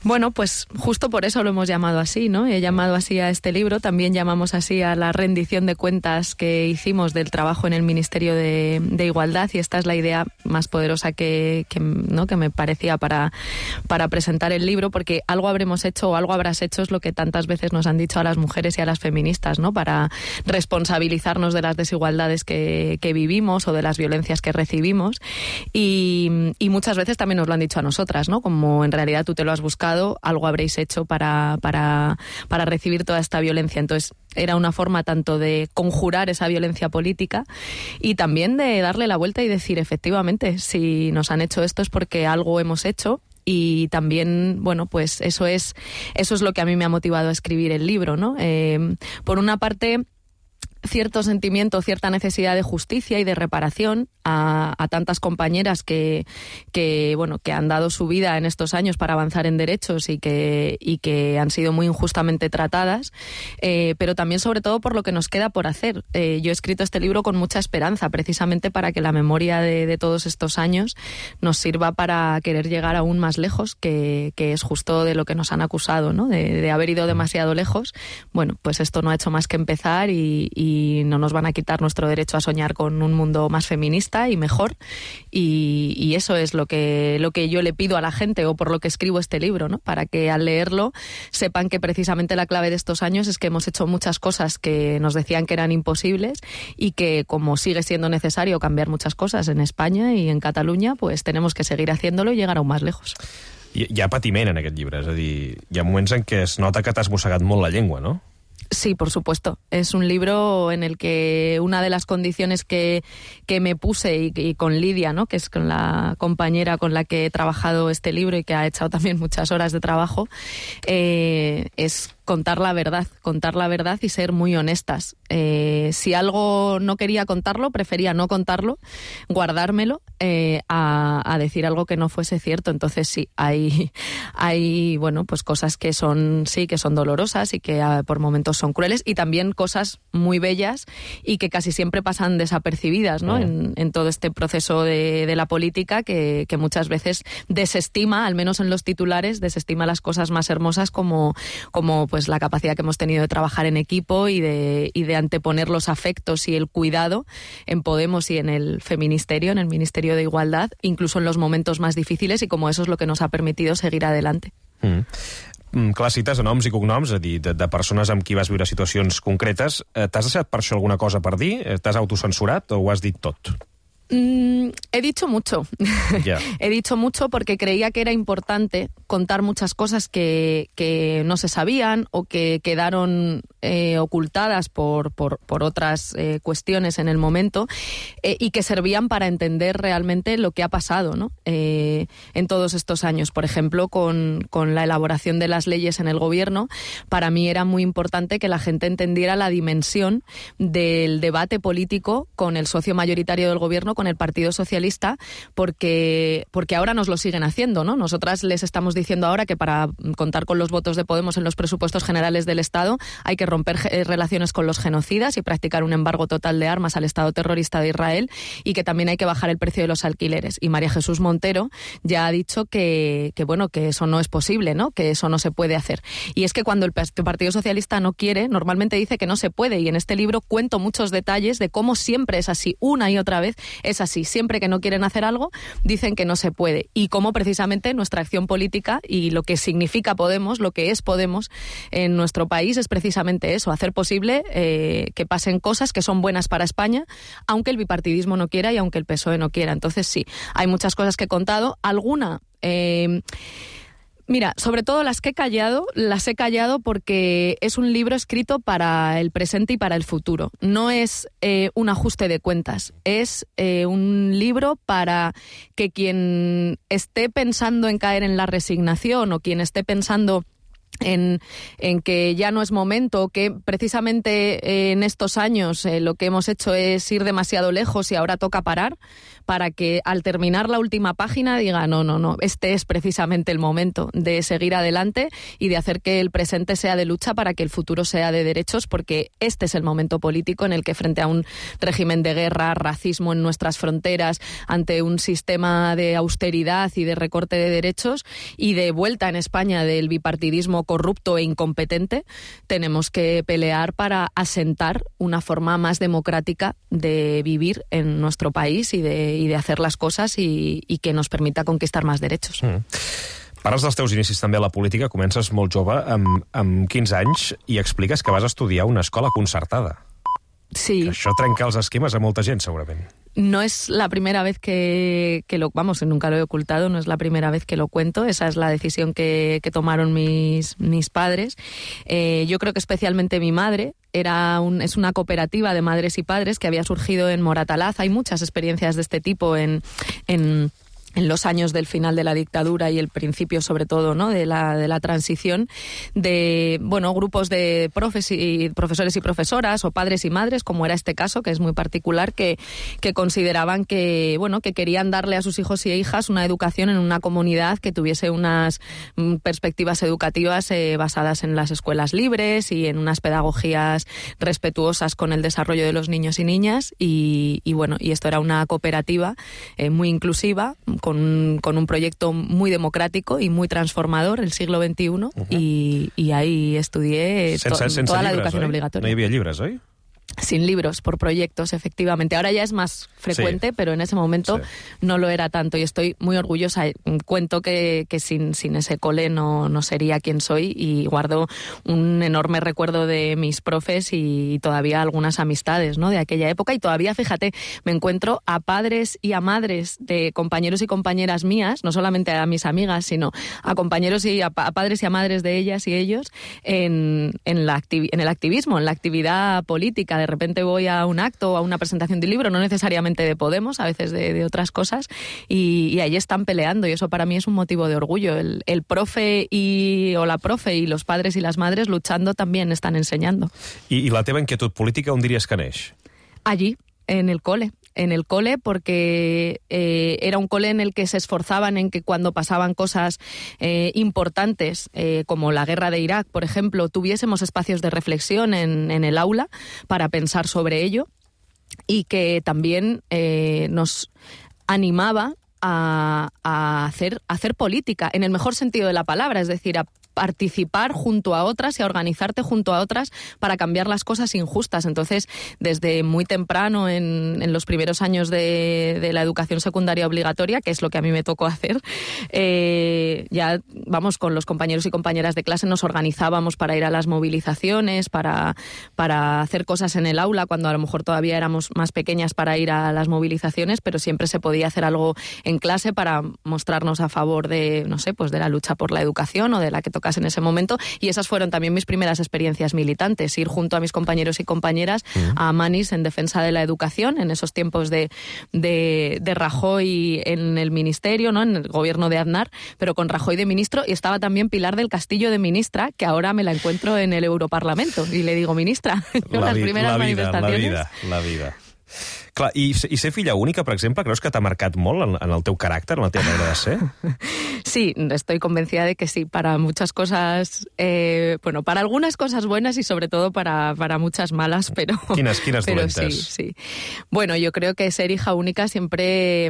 Bueno, pues justo por eso lo hemos llamado así, ¿no? He llamado así a este libro, también llamamos así a la rendición de cuentas que hicimos del trabajo en el Ministerio de, de Igualdad, y esta es la idea más poderosa que, que, ¿no? que me parecía para, para presentar el libro, porque algo habremos hecho o algo habrás hecho es lo que tantas veces nos han dicho a las mujeres y a las feministas, ¿no? Para responsabilizarnos de las desigualdades que, que vivimos o de las violencias que recibimos, y, y muchas veces también nos lo han dicho a nosotras, ¿no? Como en realidad tú te lo has buscado, algo habréis hecho para, para, para recibir toda esta violencia. Entonces era una forma tanto de conjurar esa violencia política y también de darle la vuelta y decir, efectivamente, si nos han hecho esto es porque algo hemos hecho. Y también, bueno, pues eso es, eso es lo que a mí me ha motivado a escribir el libro, ¿no? Eh, por una parte, cierto sentimiento, cierta necesidad de justicia y de reparación a, a tantas compañeras que, que, bueno, que han dado su vida en estos años para avanzar en derechos y que, y que han sido muy injustamente tratadas, eh, pero también sobre todo por lo que nos queda por hacer. Eh, yo he escrito este libro con mucha esperanza, precisamente para que la memoria de, de todos estos años nos sirva para querer llegar aún más lejos, que, que es justo de lo que nos han acusado, ¿no? De, de haber ido demasiado lejos. Bueno, pues esto no ha hecho más que empezar y, y y no nos van a quitar nuestro derecho a soñar con un mundo más feminista y mejor, y, y eso es lo que, lo que yo le pido a la gente, o por lo que escribo este libro, ¿no? Para que al leerlo sepan que precisamente la clave de estos años es que hemos hecho muchas cosas que nos decían que eran imposibles, y que como sigue siendo necesario cambiar muchas cosas en España y en Cataluña, pues tenemos que seguir haciéndolo y llegar aún más lejos. Hi, hi ha patiment en aquest llibre, és a dir, hi ha moments en què es nota que t'has mossegat molt la llengua, no? Sí, por supuesto. Es un libro en el que una de las condiciones que, que me puse y, y con Lidia, ¿no? Que es con la compañera con la que he trabajado este libro y que ha echado también muchas horas de trabajo, eh, es contar la verdad, contar la verdad y ser muy honestas. Eh, si algo no quería contarlo, prefería no contarlo, guardármelo, eh, a, a decir algo que no fuese cierto. Entonces sí, hay, hay bueno, pues cosas que son, sí, que son dolorosas y que uh, por momentos son crueles, y también cosas muy bellas y que casi siempre pasan desapercibidas, ¿no? Oh. En, en todo este proceso de, de la política, que, que muchas veces desestima, al menos en los titulares, desestima las cosas más hermosas como, como pues la capacidad que hemos tenido de trabajar en equipo y de, y de anteponer los afectos y el cuidado en Podemos y en el Feministerio, en el Ministerio de Igualdad, incluso en los momentos más difíciles, y como eso es lo que nos ha permitido seguir adelante. Mm. Mm, clar, cites noms i cognoms, és a dir, de, de persones amb qui vas viure situacions concretes. Eh, T'has deixat per això alguna cosa per dir? T'has autocensurat o ho has dit tot? Mm, he dicho mucho. Yeah. He dicho mucho porque creía que era importante contar muchas cosas que, que no se sabían o que quedaron eh, ocultadas por, por, por otras eh, cuestiones en el momento, eh, y que servían para entender realmente lo que ha pasado, ¿no? eh, en todos estos años. Por ejemplo, con, con la elaboración de las leyes en el gobierno, para mí era muy importante que la gente entendiera la dimensión del debate político con el socio mayoritario del gobierno, con el Partido Socialista, porque, porque ahora nos lo siguen haciendo, ¿no? Nosotras les estamos diciendo ahora que para contar con los votos de Podemos en los presupuestos generales del Estado hay que romper eh, relaciones con los genocidas y practicar un embargo total de armas al Estado terrorista de Israel, y que también hay que bajar el precio de los alquileres. Y María Jesús Montero ya ha dicho que, que bueno, que eso no es posible, ¿no? Que eso no se puede hacer. Y es que cuando el Partido Socialista no quiere, normalmente dice que no se puede, y en este libro cuento muchos detalles de cómo siempre es así, una y otra vez es así. Siempre que no quieren hacer algo, dicen que no se puede. Y cómo precisamente nuestra acción política y lo que significa Podemos, lo que es Podemos en nuestro país, es precisamente eso, hacer posible eh, que pasen cosas que son buenas para España, aunque el bipartidismo no quiera y aunque el P S O E no quiera. Entonces sí, hay muchas cosas que he contado. Alguna... Eh, Mira, sobre todo las que he callado, las he callado porque es un libro escrito para el presente y para el futuro. No es eh, un ajuste de cuentas, es eh, un libro para que quien esté pensando en caer en la resignación o quien esté pensando En, en que ya no es momento, que precisamente en estos años eh, lo que hemos hecho es ir demasiado lejos y ahora toca parar, para que al terminar la última página diga, no, no, no, este es precisamente el momento de seguir adelante y de hacer que el presente sea de lucha para que el futuro sea de derechos, porque este es el momento político en el que, frente a un régimen de guerra, racismo en nuestras fronteras, ante un sistema de austeridad y de recorte de derechos y de vuelta en España del bipartidismo corrupto e incompetente, tenemos que pelear para asentar una forma más democrática de vivir en nuestro país y de, y de hacer las cosas y, y que nos permita conquistar más derechos. Mm. Parles dels teus inicis també a la política, comences molt jove, amb, amb quinze anys, i expliques que vas estudiar a una escola concertada. Sí. Que això trenca els esquemes a molta gent, segurament. No es la primera vez que, que lo... Vamos, nunca lo he ocultado, no es la primera vez que lo cuento. Esa es la decisión que, que tomaron mis, mis padres. Eh, yo creo que especialmente mi madre. Era un, es una cooperativa de madres y padres que había surgido en Moratalaz. Hay muchas experiencias de este tipo en... en en los años del final de la dictadura y el principio, sobre todo, ¿no?, de la, de la transición, de, bueno, grupos de profes y, profesores y profesoras, o padres y madres, como era este caso, que es muy particular, que, que consideraban que, bueno, que querían darle a sus hijos y hijas una educación en una comunidad que tuviese unas mm, perspectivas educativas eh, basadas en las escuelas libres y en unas pedagogías respetuosas con el desarrollo de los niños y niñas, y, y bueno, y esto era una cooperativa eh, muy inclusiva, Con, con un proyecto muy democrático y muy transformador, el siglo veintiuno, uh-huh. y, y ahí estudié to, sense, sense toda llibres, la educación oi? obligatoria. No hi havia llibres, oi? Sin libros, por proyectos, efectivamente. Ahora ya es más frecuente, sí. Pero en ese momento sí. No lo era tanto, y estoy muy orgullosa. Cuento que, que sin, sin ese cole no, no sería quien soy, y guardo un enorme recuerdo de mis profes y todavía algunas amistades, ¿no?, de aquella época. Y todavía, fíjate, me encuentro a padres y a madres de compañeros y compañeras mías, no solamente a mis amigas, sino a compañeros y a, a padres y a madres de ellas y ellos en, en, la activi- en el activismo, en la actividad política. De repente voy a un acto o a una presentación de un libro, no necesariamente de Podemos, a veces de, de otras cosas, y, y ahí están peleando, y eso para mí es un motivo de orgullo. El, el profe y, o la profe y los padres y las madres luchando también están enseñando. I, i la teva inquietud política on diries que neix? Allí, en el cole. En el cole, porque eh, era un cole en el que se esforzaban en que cuando pasaban cosas eh, importantes, eh, como la guerra de Irak, por ejemplo, tuviésemos espacios de reflexión en, en el aula para pensar sobre ello, y que también eh, nos animaba a, a, hacer, a hacer política, en el mejor sentido de la palabra, es decir, a participar junto a otras y a organizarte junto a otras para cambiar las cosas injustas. Entonces, desde muy temprano, en, en los primeros años de, de la educación secundaria obligatoria, que es lo que a mí me tocó hacer, eh, ya, vamos, con los compañeros y compañeras de clase nos organizábamos para ir a las movilizaciones, para, para hacer cosas en el aula, cuando a lo mejor todavía éramos más pequeñas para ir a las movilizaciones, pero siempre se podía hacer algo en clase para mostrarnos a favor de, no sé, pues de la lucha por la educación o de la que tocase en ese momento. Y esas fueron también mis primeras experiencias militantes, ir junto a mis compañeros y compañeras uh-huh. a Manís en defensa de la educación, en esos tiempos de, de, de Rajoy en el ministerio, ¿no?, en el gobierno de Aznar, pero con Rajoy de ministro, y estaba también Pilar del Castillo de ministra, que ahora me la encuentro en el Europarlamento, y le digo, ministra, la las vi- primeras la vida, manifestaciones. La vida, la vida. Clar, i, i ser filla única, per exemple, creus que t'ha marcat molt en, en el teu caràcter, en la teva manera de ser? Sí, estoy convencida de que sí, para muchas cosas, eh, bueno, para algunas cosas buenas y sobre todo para, para muchas malas, pero... Quines, quines pero dolentes? sí, sí. Bueno, yo creo que ser hija única siempre,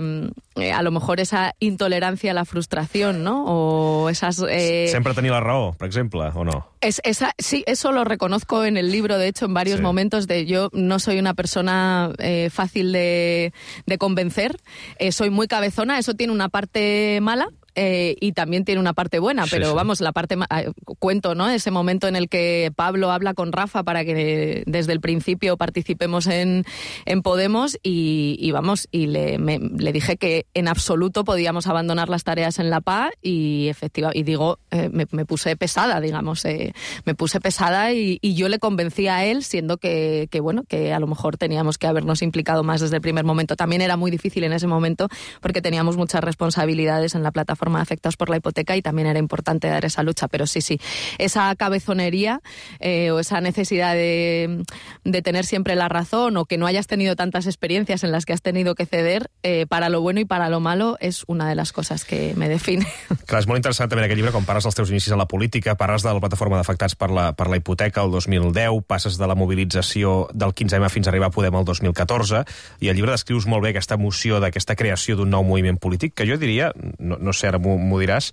eh, a lo mejor esa intolerancia a la frustración, ¿no? O esas... Eh... Sempre tenir la raó, per exemple, o no? Es, esa, sí, eso lo reconozco en el libro, de hecho, en varios sí. momentos, de yo no soy una persona eh, fácil de, de convencer, eh, soy muy cabezona, eso tiene una parte mala, Eh, y también tiene una parte buena, pero sí, sí. vamos, la parte eh, cuento, ¿no?, ese momento en el que Pablo habla con Rafa para que desde el principio participemos en, en Podemos, y, y vamos, y le, me, le dije que en absoluto podíamos abandonar las tareas en la P A, y efectiva, y digo, eh, me, me puse pesada, digamos, eh, me puse pesada, y, y yo le convencí a él, siendo que, que, bueno, que a lo mejor teníamos que habernos implicado más desde el primer momento. También era muy difícil en ese momento porque teníamos muchas responsabilidades en la plataforma plataforma de afectados por la hipoteca y también era importante dar esa lucha, pero sí, sí, esa cabezonería eh, o esa necesidad de, de tener siempre la razón o que no hayas tenido tantas experiencias en las que has tenido que ceder, eh, para lo bueno y para lo malo, és una de les coses que me define. Clar, és molt interessant també en aquest llibre, quan parles dels teus inicis a la política, parles de la plataforma d'afectats per la, per la hipoteca el dos mil deu, passes de la mobilització del quinze eme fins a arribar a Podem el dos mil catorze, i al llibre descrius molt bé aquesta emoció d'aquesta creació d'un nou moviment polític, que jo diria, no, no sé, ara m'ho diràs,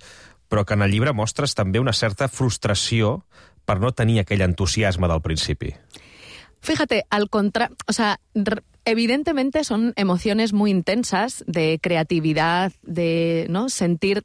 però que en el llibre mostres també una certa frustració per no tenir aquell entusiasme del principi. Fíjate, al contrario, o sea, evidentemente son emociones muy intensas de creatividad, de no sentir.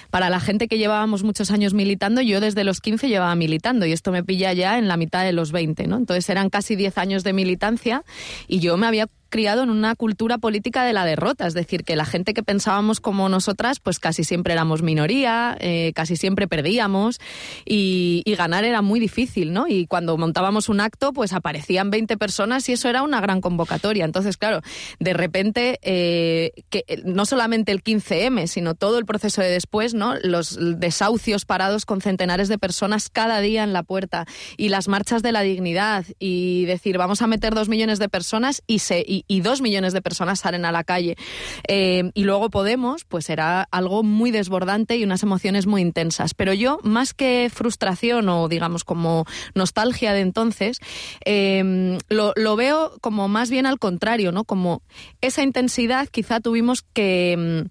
Para la gente que llevábamos muchos años militando, yo desde los quince llevaba militando y esto me pilla ya en la mitad de los veinte, ¿no? Entonces eran casi diez años de militancia y yo me había criado en una cultura política de la derrota, es decir, que la gente que pensábamos como nosotras, pues casi siempre éramos minoría, eh, casi siempre perdíamos y, y ganar era muy difícil, ¿no? Y cuando montábamos un acto, pues aparecían veinte personas y eso era una gran convocatoria. Entonces, claro, de repente, eh, que no solamente el quince eme, sino todo el proceso de después, ¿no? Los desahucios parados con centenares de personas cada día en la puerta y las marchas de la dignidad y decir, vamos a meter dos millones de personas y se... Y y dos millones de personas salen a la calle. Eh, y luego Podemos, pues era algo muy desbordante y unas emociones muy intensas. Pero yo, más que frustración o, digamos, como nostalgia de entonces, eh, lo, lo veo como más bien al contrario, ¿no? Como esa intensidad quizá tuvimos que...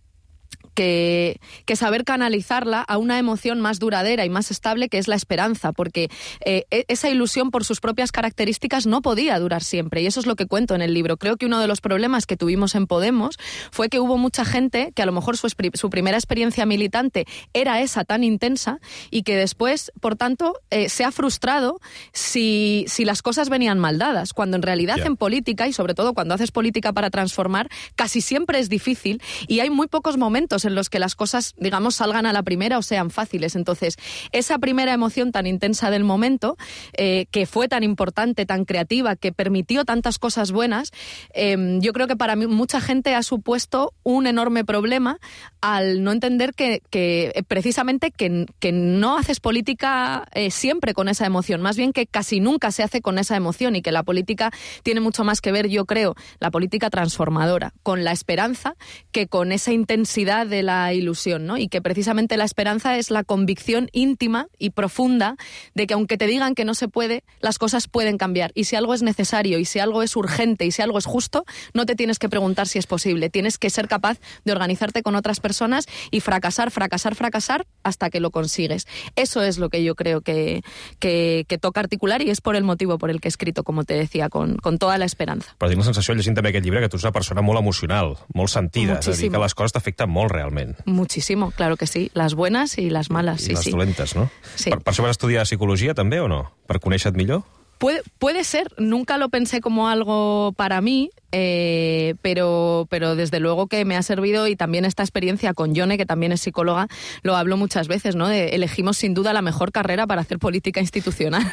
Que, que saber canalizarla a una emoción más duradera y más estable, que es la esperanza, porque eh, esa ilusión por sus propias características no podía durar siempre, y eso es lo que cuento en el libro. Creo que uno de los problemas que tuvimos en Podemos fue que hubo mucha gente que a lo mejor su, su primera experiencia militante era esa tan intensa y que después, por tanto, eh, se ha frustrado si, si las cosas venían mal dadas, cuando en realidad yeah. en política, y sobre todo cuando haces política para transformar, casi siempre es difícil y hay muy pocos momentos en los que las cosas, digamos, salgan a la primera o sean fáciles. Entonces, esa primera emoción tan intensa del momento, eh, que fue tan importante, tan creativa, que permitió tantas cosas buenas, eh, yo creo que para mí mucha gente ha supuesto un enorme problema al no entender que, que precisamente que, que no haces política eh, siempre con esa emoción, más bien que casi nunca se hace con esa emoción y que la política tiene mucho más que ver, yo creo, la política transformadora, con la esperanza que con esa intensidad de la ilusión, ¿no? Y que precisamente la esperanza es la convicción íntima y profunda de que aunque te digan que no se puede, las cosas pueden cambiar. Y si algo es necesario, y si algo es urgente, y si algo es justo, no te tienes que preguntar si es posible. Tienes que ser capaz de organizarte con otras personas y fracasar, fracasar, fracasar hasta que lo consigues. Eso es lo que yo creo que, que, que toca articular y es por el motivo por el que he escrito, como te decía, con, con toda la esperanza. Però tinc la sensació, llegint també aquest llibre, que tu ets una persona molt emocional, molt sentida, és a dir, que les coses t'afecten molt realment. Muchísimo, claro que sí. Las buenas y las malas, I sí, les sí. dolentes, no? Sí. Per, per això vas estudiar psicologia també o no? Per conèixer-te millor? Puede, puede ser, nunca lo pensé como algo para mí, eh, pero, pero desde luego que me ha servido, y también esta experiencia con Yone, que también es psicóloga, lo hablo muchas veces, ¿no? De, elegimos sin duda la mejor carrera para hacer política institucional.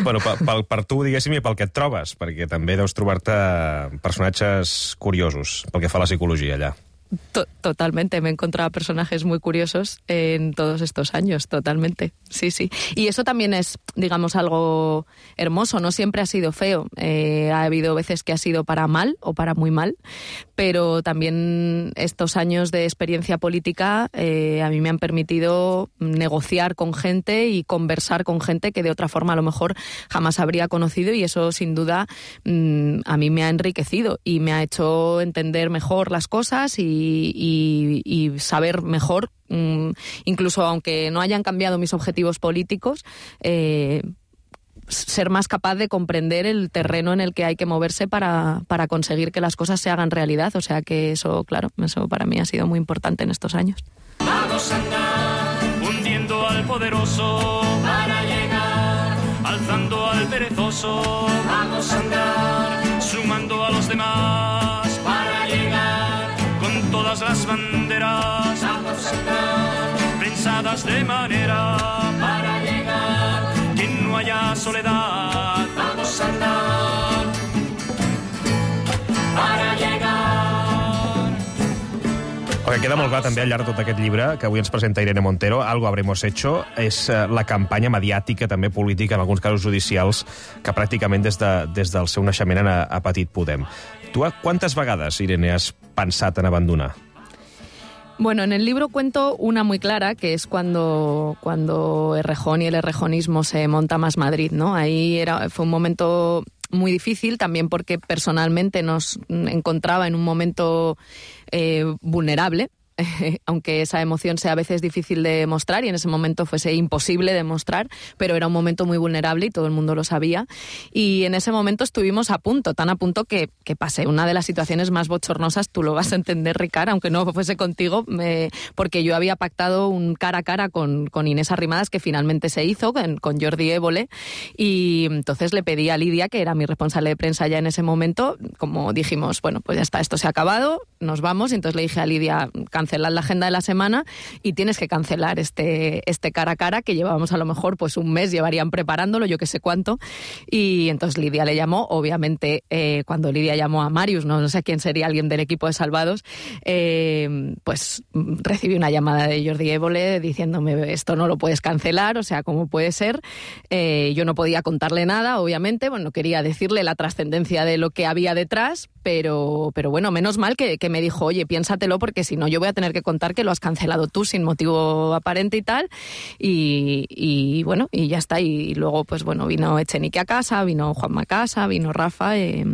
Bueno, per, per, per tu, diguéssim, i pel que et trobes, perquè també deus trobar-te personatges curiosos pel que fa a la psicologia allà. Totalmente, me he encontrado personajes muy curiosos en todos estos años, totalmente, sí, sí. Y eso también es, digamos, algo hermoso, no siempre ha sido feo, eh, ha habido veces que ha sido para mal o para muy mal, pero también estos años de experiencia política eh, a mí me han permitido negociar con gente y conversar con gente que de otra forma a lo mejor jamás habría conocido, y eso sin duda mmm, a mí me ha enriquecido y me ha hecho entender mejor las cosas y Y, y, y saber mejor, incluso aunque no hayan cambiado mis objetivos políticos, eh, ser más capaz de comprender el terreno en el que hay que moverse para, para conseguir que las cosas se hagan realidad. O sea que eso, claro, eso para mí ha sido muy importante en estos años. Vamos a andar hundiendo al poderoso para llegar, alzando al perezoso. Vamos a andar sumando a los demás para llegar. Con todas las banderas vamos a andar, pensadas de manera para llegar, que no haya soledad. Vamos a andar para llegar. El que queda molt clar també al llarg de tot aquest llibre que avui ens presenta Irene Montero, Algo habremos hecho, és la campanya mediàtica, també política, en alguns casos judicials, que pràcticament des, de, des del seu naixement ha, ha patit Podem. Tu quantes vegades, Irene, has pensat en abandonar? Bueno, en el libro cuento una muy clara, que es cuando, cuando Errejón y el errejonismo se monta Más Madrid, ¿no? Ahí era, fue un momento muy difícil, también porque personalmente nos encontraba en un momento eh, vulnerable, aunque esa emoción sea a veces difícil de mostrar y en ese momento fuese imposible de mostrar, pero era un momento muy vulnerable y todo el mundo lo sabía. Y en ese momento estuvimos a punto, tan a punto que, que pasé una de las situaciones más bochornosas, tú lo vas a entender, Ricard, aunque no fuese contigo, eh, porque yo había pactado un cara a cara con, con Inés Arrimadas, que finalmente se hizo, con, con Jordi Évole, y entonces le pedí a Lidia, que era mi responsable de prensa ya en ese momento, como dijimos, bueno, pues ya está, esto se ha acabado, nos vamos, y entonces le dije a Lidia, cancelar la agenda de la semana y tienes que cancelar este, este cara a cara que llevábamos a lo mejor pues un mes, llevarían preparándolo, yo que sé cuánto, y entonces Lidia le llamó, obviamente eh, cuando Lidia llamó a Marius, no, no sé quién sería, alguien del equipo de Salvados, eh, pues recibí una llamada de Jordi Évole diciéndome esto no lo puedes cancelar, o sea, ¿cómo puede ser? Eh, yo no podía contarle nada, obviamente, bueno, quería decirle la trascendencia de lo que había detrás, pero, pero bueno, menos mal que, que me dijo, oye, piénsatelo porque si no yo voy a tener que contar que lo has cancelado tú sin motivo aparente y tal, y, y bueno, y ya está, y luego pues bueno, vino Echenique a casa, vino Juanma a casa, vino Rafa, eh,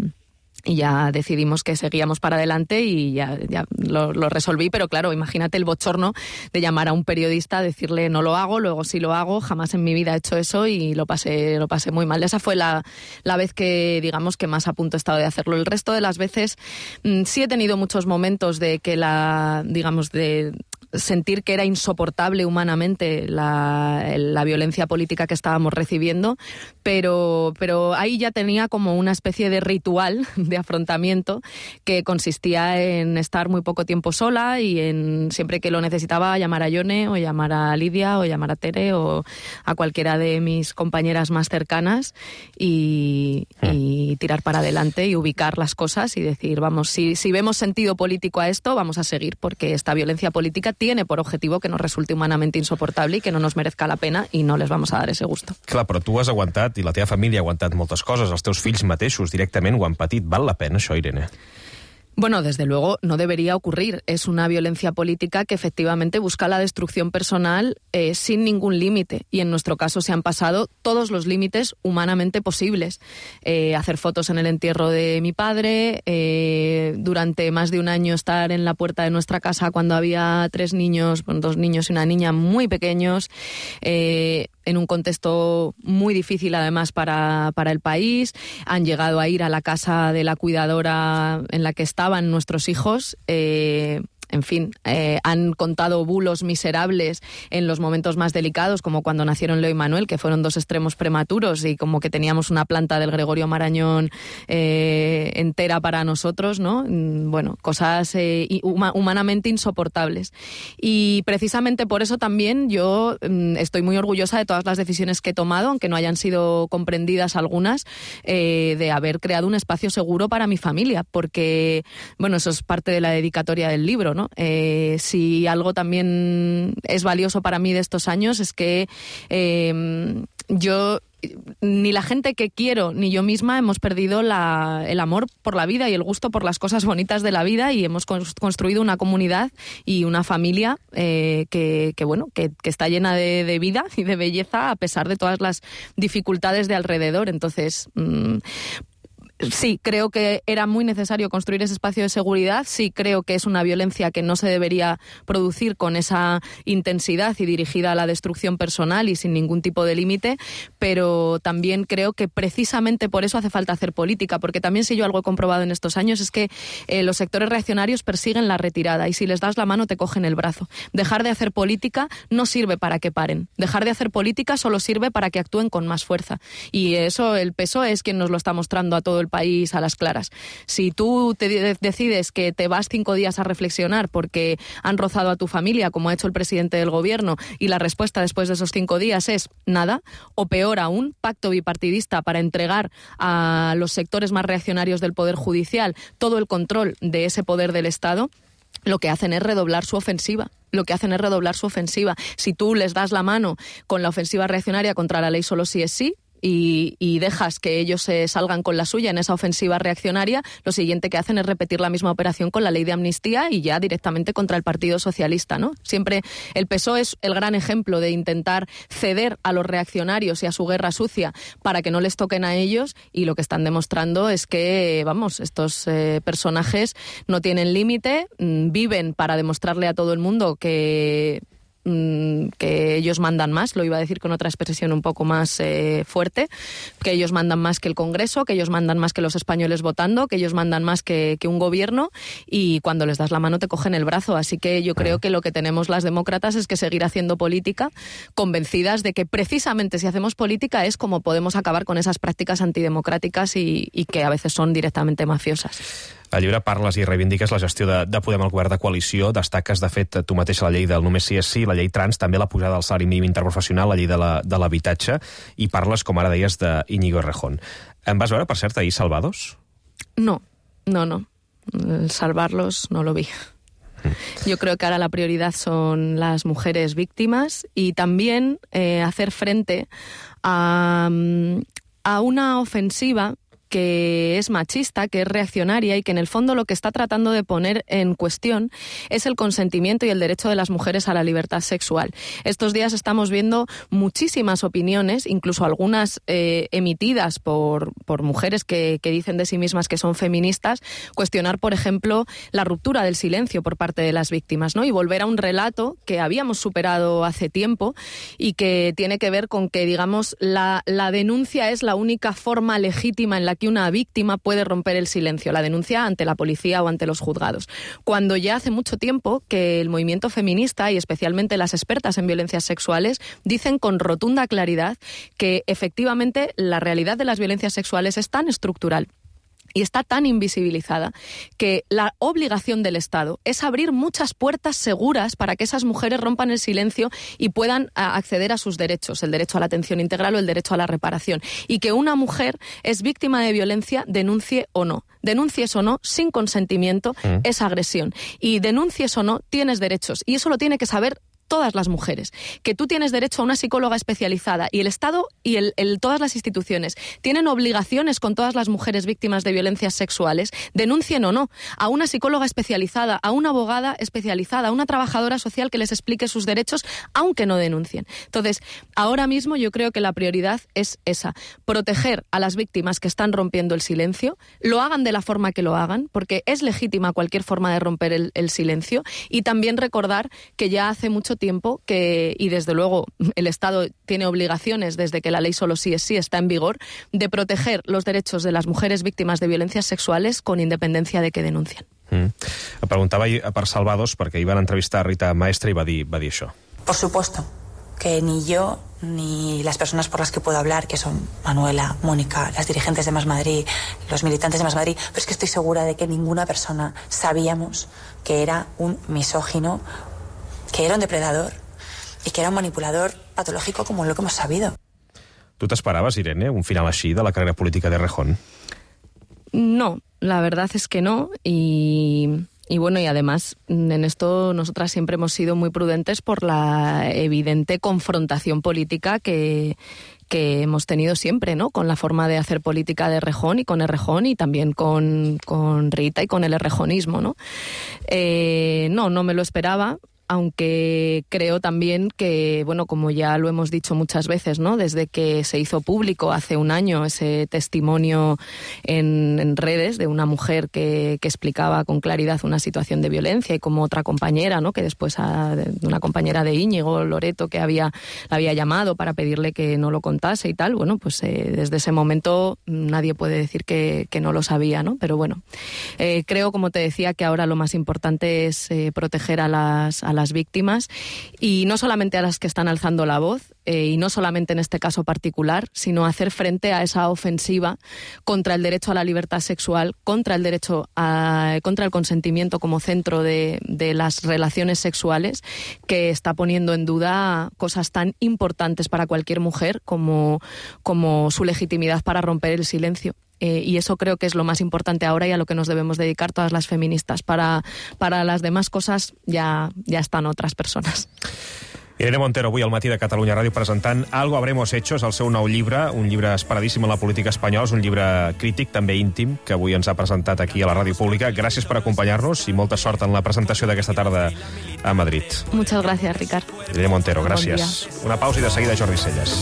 y ya decidimos que seguíamos para adelante y ya, ya lo, lo resolví, pero claro, imagínate el bochorno de llamar a un periodista, decirle no lo hago, luego sí lo hago, jamás en mi vida he hecho eso y lo pasé, lo pasé muy mal. Esa fue la, la vez que, digamos, que más a punto he estado de hacerlo. El resto de las veces mmm, sí he tenido muchos momentos de que la, digamos, de sentir que era insoportable humanamente la, la violencia política que estábamos recibiendo, pero, pero ahí ya tenía como una especie de ritual de afrontamiento que consistía en estar muy poco tiempo sola y en siempre que lo necesitaba llamar a Yone o llamar a Lidia o llamar a Tere o a cualquiera de mis compañeras más cercanas y, y tirar para adelante y ubicar las cosas y decir, vamos, si, si vemos sentido político a esto, vamos a seguir porque esta violencia política tiene por objetivo que nos resulte humanamente insoportable y que no nos merezca la pena i no les vamos a dar ese gusto. Clar, però tu has aguantat, i la teva família ha aguantat moltes coses, els teus fills mateixos directament ho han patit. Val la pena això, Irene? Bueno, desde luego no debería ocurrir. Es una violencia política que efectivamente busca la destrucción personal eh, sin ningún límite. Y en nuestro caso se han pasado todos los límites humanamente posibles. Eh, hacer fotos en el entierro de mi padre, eh, durante más de un año estar en la puerta de nuestra casa cuando había tres niños, bueno, dos niños y una niña muy pequeños, eh, en un contexto muy difícil además para, para el país. Han llegado a ir a la casa de la cuidadora en la que estaban nuestros hijos, eh, en fin, eh, han contado bulos miserables en los momentos más delicados, como cuando nacieron Leo y Manuel, que fueron dos extremos prematuros y como que teníamos una planta del Gregorio Marañón eh, entera para nosotros, ¿no? Bueno, cosas eh, humanamente insoportables. Y precisamente por eso también yo mm, estoy muy orgullosa de todas las decisiones que he tomado, aunque no hayan sido comprendidas algunas, eh, de haber creado un espacio seguro para mi familia, porque, bueno, eso es parte de la dedicatoria del libro, ¿no? Eh, si algo también es valioso para mí de estos años es que eh, yo, ni la gente que quiero ni yo misma hemos perdido la, el amor por la vida y el gusto por las cosas bonitas de la vida y hemos construido una comunidad y una familia eh, que, que, bueno, que, que está llena de, de vida y de belleza a pesar de todas las dificultades de alrededor. Entonces, mmm, sí, creo que era muy necesario construir ese espacio de seguridad. Sí, creo que es una violencia que no se debería producir con esa intensidad y dirigida a la destrucción personal y sin ningún tipo de límite, pero también creo que precisamente por eso hace falta hacer política, porque también si yo algo he comprobado en estos años es que eh, los sectores reaccionarios persiguen la retirada y si les das la mano te cogen el brazo. Dejar de hacer política no sirve para que paren. Dejar de hacer política solo sirve para que actúen con más fuerza. Y eso, el P S O E es quien nos lo está mostrando a todo el país a las claras. Si tú te de- decides que te vas cinco días a reflexionar porque han rozado a tu familia, como ha hecho el presidente del gobierno, y la respuesta después de esos cinco días es nada, o peor aún, pacto bipartidista para entregar a los sectores más reaccionarios del Poder Judicial todo el control de ese poder del Estado, lo que hacen es redoblar su ofensiva. Lo que hacen es redoblar su ofensiva. Si tú les das la mano con la ofensiva reaccionaria contra la ley solo sí es sí, Y, y dejas que ellos se salgan con la suya en esa ofensiva reaccionaria, lo siguiente que hacen es repetir la misma operación con la ley de amnistía y ya directamente contra el Partido Socialista, ¿no? Siempre el P S O E es el gran ejemplo de intentar ceder a los reaccionarios y a su guerra sucia para que no les toquen a ellos, y lo que están demostrando es que, vamos, estos eh, personajes no tienen límite, mmm, viven para demostrarle a todo el mundo que... que ellos mandan más, lo iba a decir con otra expresión un poco más eh, fuerte, que ellos mandan más que el Congreso, que ellos mandan más que los españoles votando, que ellos mandan más que, que un gobierno, y cuando les das la mano te cogen el brazo. Así que yo creo que lo que tenemos las demócratas es que seguir haciendo política, convencidas de que precisamente si hacemos política es como podemos acabar con esas prácticas antidemocráticas y, y que a veces son directamente mafiosas. Al llibre parles i reivindiques la gestió de, de Podem al govern de coalició, destaques, de fet, tu mateixa la llei del només sí és sí, la llei trans, també la pujada del salari mínim interprofessional, la llei de l'habitatge, la, i parles, com ara deies, d'Íñigo Errejón. Em vas veure, per cert, ahir Salvados? No, no, no. Salvarlos no lo vi. Yo creo que ahora la prioridad son las mujeres víctimas y también eh, hacer frente a, a una ofensiva que es machista, que es reaccionaria y que en el fondo lo que está tratando de poner en cuestión es el consentimiento y el derecho de las mujeres a la libertad sexual. Estos días estamos viendo muchísimas opiniones, incluso algunas eh, emitidas por, por mujeres que, que dicen de sí mismas que son feministas, cuestionar, por ejemplo, la ruptura del silencio por parte de las víctimas, ¿no? Y volver a un relato que habíamos superado hace tiempo y que tiene que ver con que, digamos, la, la denuncia es la única forma legítima en la que una víctima puede romper el silencio, la denuncia ante la policía o ante los juzgados. Cuando ya hace mucho tiempo que el movimiento feminista y especialmente las expertas en violencias sexuales dicen con rotunda claridad que efectivamente la realidad de las violencias sexuales es tan estructural y está tan invisibilizada que la obligación del Estado es abrir muchas puertas seguras para que esas mujeres rompan el silencio y puedan a, acceder a sus derechos, el derecho a la atención integral o el derecho a la reparación. Y que una mujer es víctima de violencia, denuncie o no. Denuncies o no, sin consentimiento, mm. es agresión. Y denuncies o no, tienes derechos. Y eso lo tiene que saber todas las mujeres, que tú tienes derecho a una psicóloga especializada y el Estado y el, el, todas las instituciones tienen obligaciones con todas las mujeres víctimas de violencias sexuales, denuncien o no, a una psicóloga especializada, a una abogada especializada, a una trabajadora social que les explique sus derechos, aunque no denuncien. Entonces, ahora mismo yo creo que la prioridad es esa, proteger a las víctimas que están rompiendo el silencio, lo hagan de la forma que lo hagan, porque es legítima cualquier forma de romper el, el silencio, y también recordar que ya hace mucho tiempo que, y desde luego el Estado tiene obligaciones desde que la ley solo sí es sí está en vigor, de proteger los derechos de las mujeres víctimas de violencias sexuales con independencia de que denuncien. Mm. Em preguntava per Salvados perquè hi van entrevistar a Rita Maestre i va dir, va dir això. Por supuesto que ni yo ni las personas por las que puedo hablar, que son Manuela, Mónica, las dirigentes de Más Madrid, los militantes de Más Madrid, pero es que estoy segura de que ninguna persona sabíamos que era un misógino, que era un depredador y que era un manipulador patológico como lo que hemos sabido. ¿Tú te esperabas, Irene, un final así de la carrera política de Errejón? No, la verdad es que no, y, y bueno, y además en esto nosotras siempre hemos sido muy prudentes por la evidente confrontación política que, que hemos tenido siempre, ¿no? Con la forma de hacer política de Errejón y con Errejón y también con, con Rita y con el errejonismo, ¿no? Eh, no, no me lo esperaba. Aunque creo también que, bueno, como ya lo hemos dicho muchas veces, ¿no? Desde que se hizo público hace un año ese testimonio en, en redes de una mujer que, que explicaba con claridad una situación de violencia, y como otra compañera, ¿no? Que después, a, una compañera de Íñigo, Loreto, que había, la había llamado para pedirle que no lo contase y tal, bueno, pues eh, desde ese momento nadie puede decir que, que no lo sabía, ¿no? Pero bueno, eh, creo, como te decía, que ahora lo más importante es eh, proteger a las, a las las víctimas, y no solamente a las que están alzando la voz, eh, y no solamente en este caso particular, sino hacer frente a esa ofensiva contra el derecho a la libertad sexual, contra el derecho a, contra el consentimiento como centro de, de las relaciones sexuales, que está poniendo en duda cosas tan importantes para cualquier mujer como, como su legitimidad para romper el silencio. Eh, y eso creo que es lo más importante ahora y a lo que nos debemos dedicar todas las feministas. Para, para las demás cosas ya, ya están otras personas. Irene Montero, avui al Matí de Catalunya Ràdio, presentant Algo habremos hecho, és el seu nou llibre, un llibre esperadíssim en la política espanyola, és un llibre crític, també íntim, que avui ens ha presentat aquí a la ràdio pública. Gràcies per acompanyar-nos i molta sort en la presentació d'aquesta tarda a Madrid. Muchas gracias, Ricard. Irene Montero, gràcies. Bon Una pausa i de seguida Jordi Celles.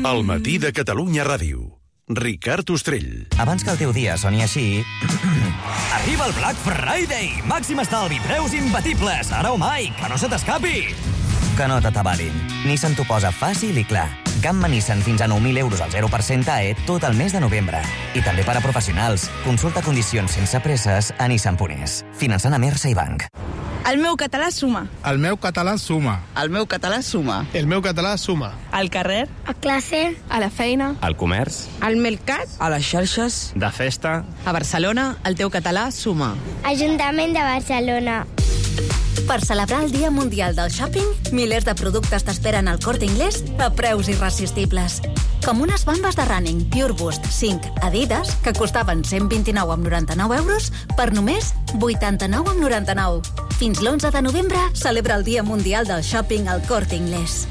El Matí de Catalunya Ràdio. Ricard Ostrell. Abans que el teu dia soni així... Arriba el Black Friday! Màxim estalvi, preus imbatibles, ara o mai, que no se t'escapi! Que no t'atabalin. Nissan t'ho posa fàcil i clar. Gamma Nissan fins a nou mil euros al zero per cent A E tot el mes de novembre. I també per a professionals. Consulta condicions sense presses a nissan punt es. Finançant a Mersa i Banc. El meu català suma. El meu català suma. El meu català suma. El meu català suma. Al carrer. A classe. A la feina. Al comerç. Al mercat. A les xarxes. De festa. A Barcelona, el teu català suma. Ajuntament de Barcelona. Per celebrar el Dia Mundial del Shopping, milers de productes t'esperen al Corte Inglés a preus irresistibles. Com unes bambes de running Pure Boost cinc Adidas, que costaven cent vint-i-nou amb noranta-nou euros, per només vuitanta-nou amb noranta-nou. Fins l'onze de novembre celebra el Dia Mundial del Shopping al Corte Inglés.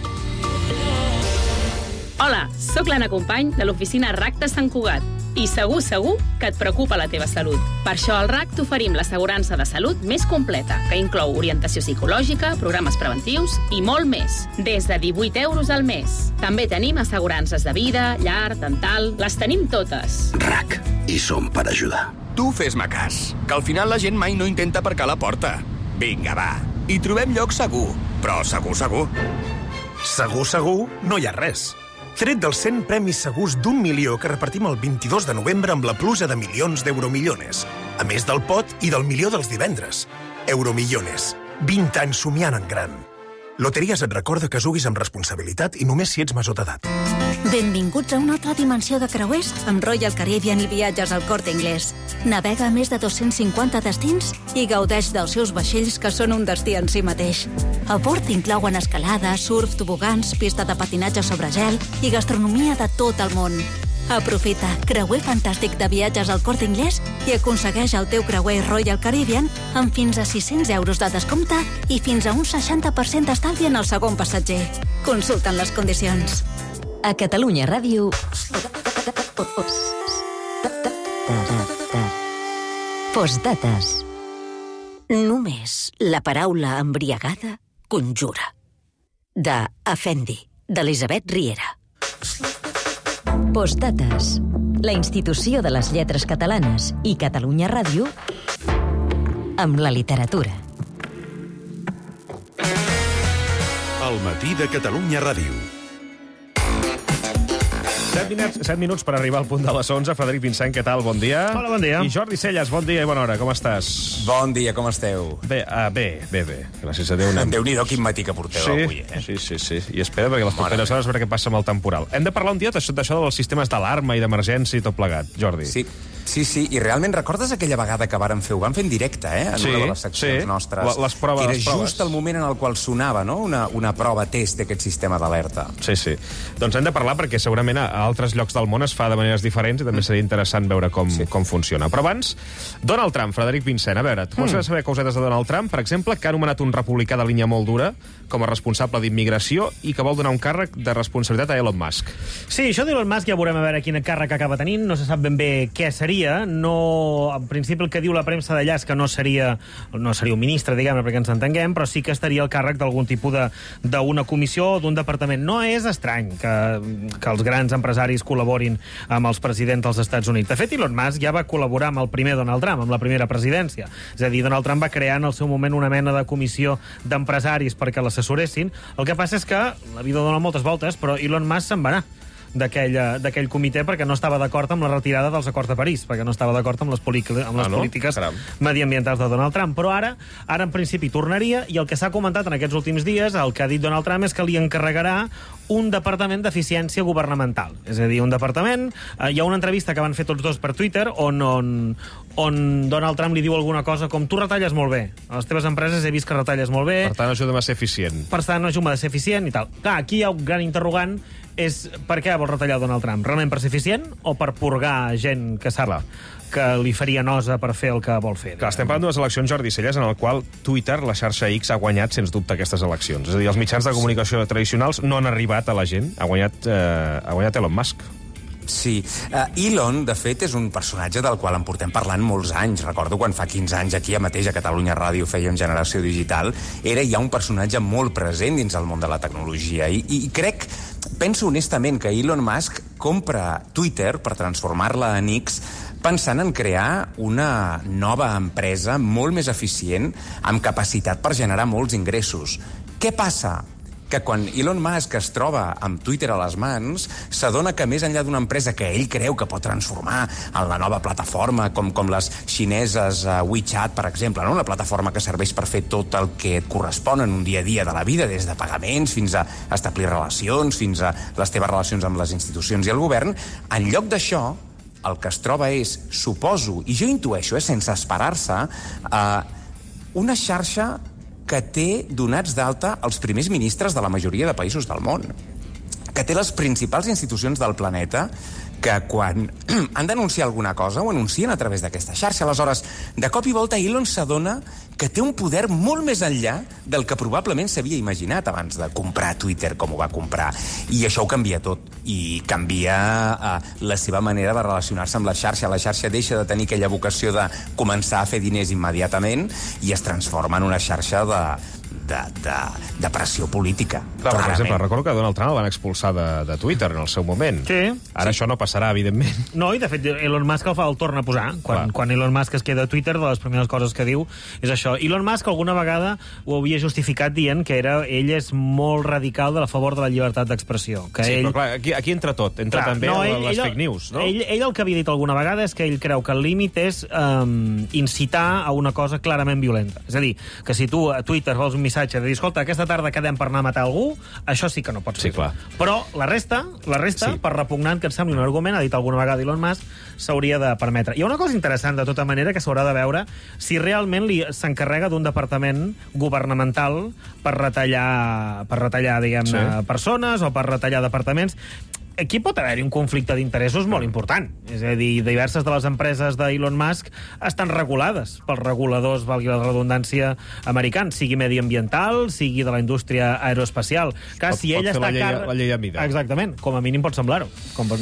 Hola, sóc l'Anna Company de l'oficina R A C de Sant Cugat i segur, segur que et preocupa la teva salut. Per això al R A C t'oferim l'assegurança de salut més completa, que inclou orientació psicològica, programes preventius i molt més, des de divuit euros al mes. També tenim assegurances de vida, llar, dental, les tenim totes. R A C, hi som per ajudar. Tu fes-me cas, que al final la gent mai no intenta aparcar a la porta. Vinga, va, hi trobem lloc segur, però segur, segur. Segur, segur, no hi ha res. Tret dels cent premis segurs d'un milió que repartim el vint-i-dos de novembre amb la pluja de milions d'Euromillones. A més del pot i del milió dels divendres. Euromillones. vint anys somiant en gran. Loteries et recorda que juguis amb responsabilitat i només si ets major d'edat. Benvinguts a una altra dimensió de creuers amb Royal Caribbean i viatges al Corte Inglés. Navega a més de dos-cents cinquanta destins i gaudeix dels seus vaixells, que són un destí en si mateix. A bord inclouen escalada, surf, tobogans, pista de patinatge sobre gel i gastronomia de tot el món. Aprofita creuer fantàstic de viatges al Corte Inglés i aconsegueix el teu creuer Royal Caribbean amb fins a sis-cents euros de descompte i fins a un seixanta per cent d'estalvi en el segon passatger. Consulten les condicions. A Catalunya Ràdio... Postdates. Només la paraula embriagada conjura. De Afendi, d'Elisabet Riera. Postdates. La institució de les lletres catalanes i Catalunya Ràdio amb la literatura. El Matí de Catalunya Ràdio. set minuts, set minuts per arribar al punt de les onze. Frederic Vincent, què tal? Bon dia. Hola, bon dia. I Jordi Celles, bon dia i bona hora. Com estàs? Bon dia, com esteu? Bé, uh, bé, bé, bé. Gràcies a Déu. Anem. Déu-n'hi-do quin matí que porteu sí, avui, eh? Sí, sí, sí. I espera, perquè les properes hores a veure què passa amb el temporal. Hem de parlar un dia d'això dels sistemes d'alarma i d'emergència i tot plegat, Jordi. Sí. Sí, sí, i realment recordes aquella vegada que vàrem fer, ho vam fer en directe, eh? En sí, una de les seccions sí. nostres. La, les proves, que era les proves. just el moment en el qual sonava, no?, una, una prova test d'aquest sistema d'alerta. Sí, sí. Doncs hem de parlar perquè segurament a altres llocs del món es fa de maneres diferents i també seria interessant veure com, sí. com funciona. Però abans, Donald Trump, Frederic Vincent, a veure, tu vols mm. saber cosetes de Donald Trump, per exemple, que ha anomenat un republicà de línia molt dura com a responsable d'immigració i que vol donar un càrrec de responsabilitat a Elon Musk. Sí, això d'Elon Musk ja veurem a veure quin càrrec acaba tenint, no se sap ben bé què seria, no... En principi el que diu la premsa d'allà és que no seria, no seria un ministre, diguem-ne, perquè ens entenguem, però sí que estaria al càrrec d'algun tipus d'una comissió o d'un departament. No és estrany que, que els grans empresaris col·laborin amb els presidents dels Estats Units. De fet, Elon Musk ja va col·laborar amb el primer Donald Trump, amb la primera presidència. És a dir, Donald Trump va crear en el seu moment una mena de comissió d'empresaris perquè l'assessoressin. El que passa és que la vida dona moltes voltes, però Elon Musk se'n va anar d'aquell comitè perquè no estava d'acord amb la retirada dels acords de París, perquè no estava d'acord amb les, amb les ah, no? polítiques Caram. mediambientals de Donald Trump. Però ara, ara en principi tornaria, i el que s'ha comentat en aquests últims dies, el que ha dit Donald Trump és que li encarregarà un departament d'eficiència governamental. És a dir, un departament... Eh, hi ha una entrevista que van fer tots dos per Twitter on, on, on Donald Trump li diu alguna cosa com tu retalles molt bé. A les teves empreses he vist que retalles molt bé. Per tant, ajuda'm a ser eficient. Per tant, ajuda'm a ser eficient i tal. Clar, aquí hi ha un gran interrogant, és per què vol retallar Donald Trump? Realment per ser eficient o per purgar gent que sap que li faria nosa per fer el que vol fer? Clar, estem parlant d'unes eleccions, Jordi Celles, en el qual Twitter, la xarxa X, ha guanyat, sens dubte, aquestes eleccions. És a dir, els mitjans de comunicació tradicionals no han arribat a la gent. Ha guanyat, eh, ha guanyat Elon Musk. Sí. Uh, Elon, de fet, és un personatge del qual en portem parlant molts anys. Recordo quan fa quinze anys aquí mateix a Catalunya Ràdio fèiem Generació Digital, era ja un personatge molt present dins el món de la tecnologia. I, i crec, penso honestament que Elon Musk compra Twitter per transformar-la en X pensant en crear una nova empresa molt més eficient amb capacitat per generar molts ingressos. Què passa? Que quan Elon Musk es troba amb Twitter a les mans, s'adona que més enllà d'una empresa que ell creu que pot transformar en la nova plataforma, com, com les xineses uh, WeChat, per exemple, no? Una plataforma que serveix per fer tot el que et correspon en un dia a dia de la vida, des de pagaments fins a establir relacions, fins a les teves relacions amb les institucions i el govern, en lloc d'això, el que es troba és, suposo, i jo intueixo, eh, sense esperar-se, uh, una xarxa que té donats d'alta els primers ministres de la majoria de països del món, que té les principals institucions del planeta que quan han d'anunciar alguna cosa ho anuncien a través d'aquesta xarxa. Aleshores, de cop i volta, Elon s'adona que té un poder molt més enllà del que probablement s'havia imaginat abans de comprar Twitter com ho va comprar. I això ho canvia tot. I canvia eh, la seva manera de relacionar-se amb la xarxa. La xarxa deixa de tenir aquella vocació de començar a fer diners immediatament i es transforma en una xarxa de... De, de, de pressió política. Clar, per exemple, recordo que Donald Trump el van expulsar de, de Twitter en el seu moment. Sí. Ara sí. Això no passarà, evidentment. No, i de fet Elon Musk el fa el torna a posar. Quan, quan Elon Musk es queda a Twitter, de les primeres coses que diu és això. Elon Musk alguna vegada ho havia justificat dient que era, ell és molt radical de la favor de la llibertat d'expressió. Que sí, ell... però clar, aquí, aquí entra tot. Entra clar, també no, ell, les ell, fake news, no? Ell, ell el que havia dit alguna vegada és que ell creu que el límit és um, incitar a una cosa clarament violenta. És a dir, que si tu a Twitter vols un missatge de dir, escolta, aquesta tarda quedem per anar a matar algú, això sí que no pots fer. Sí, clar. Però la resta, la resta sí. Per repugnant que et sembli un argument, ha dit alguna vegada Elon Musk, s'hauria de permetre. Hi ha una cosa interessant, de tota manera, que s'haurà de veure si realment li s'encarrega d'un departament governamental per retallar, per retallar diguem-ne, sí. persones o per retallar departaments. Aquí pot haver-hi un conflicte d'interessos molt important. És a dir, diverses de les empreses d'Elon Musk estan regulades pels reguladors, valgui la redundància, americans, sigui mediambiental, sigui de la indústria aeroespacial. Clar, pot, si ell pot està la llei, car... la llei a mida. Exactament, com a mínim pot semblar-ho.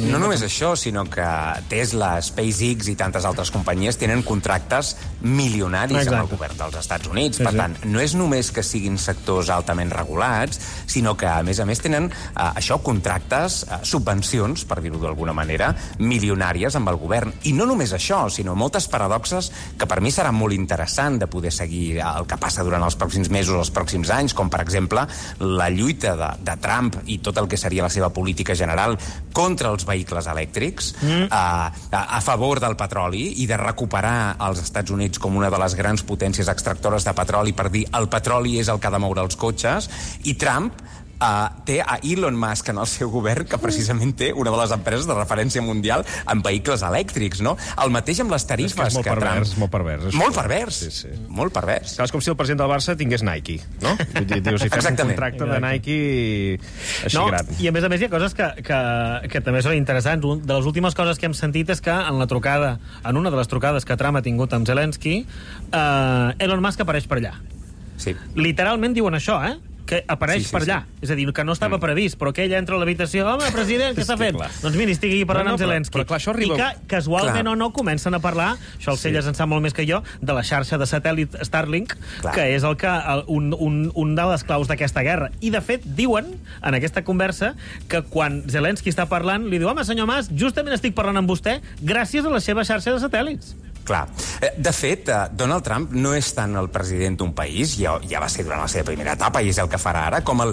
No només això, sinó que Tesla, SpaceX i tantes altres companyies tenen contractes milionaris Exacte. Amb el govern dels Estats Units. Sí, per sí. Tant, no és només que siguin sectors altament regulats, sinó que, a més a més, tenen eh, això, contractes eh, subvencions, per dir-ho d'alguna manera, milionàries amb el govern. I no només això, sinó moltes paradoxes que per mi serà molt interessant de poder seguir el que passa durant els pròxims mesos, els pròxims anys, com per exemple la lluita de, de Trump i tot el que seria la seva política general contra els vehicles elèctrics, mm. a, a, a favor del petroli i de recuperar els Estats Units com una de les grans potències extractores de petroli per dir el petroli és el que ha de moure els cotxes, i Trump Uh, té a Elon Musk en el seu govern, que precisament té una de les empreses de referència mundial en vehicles elèctrics, no? El mateix amb les tarifes és que és molt que pervers, Trump... molt pervers. És molt pervers, sí, sí. molt pervers. És com si el president del Barça tingués Nike, no? Dius, si fes un contracte de Nike així no, gran. I a més a més hi ha coses que, que, que també són interessants. De les últimes coses que hem sentit és que en la trucada, en una de les trucades que Trump ha tingut amb Zelensky, uh, Elon Musk apareix per allà. Sí. Literalment diuen això, eh? Que apareix sí, sí, per allà. Sí. És a dir, que no estava mm. previst, però que ell entra a l'habitació, home, president, què està fent? Clar. Doncs miri, estigui aquí parlant no, no, amb Zelensky. Però, però clar, això arriba... I que, casualment clar. o no, comencen a parlar, això el Celles sí. en sap molt més que jo, de la xarxa de satèl·lit Starlink, clar. que és el que el, un, un, un de les claus d'aquesta guerra. I, de fet, diuen, en aquesta conversa, que quan Zelensky està parlant, li diu, home, senyor Mas, justament estic parlant amb vostè gràcies a la seva xarxa de satèl·lits. Clar. De fet, Donald Trump no és tant el president d'un país, ja, ja va ser durant la seva primera etapa i és el que farà ara, com el,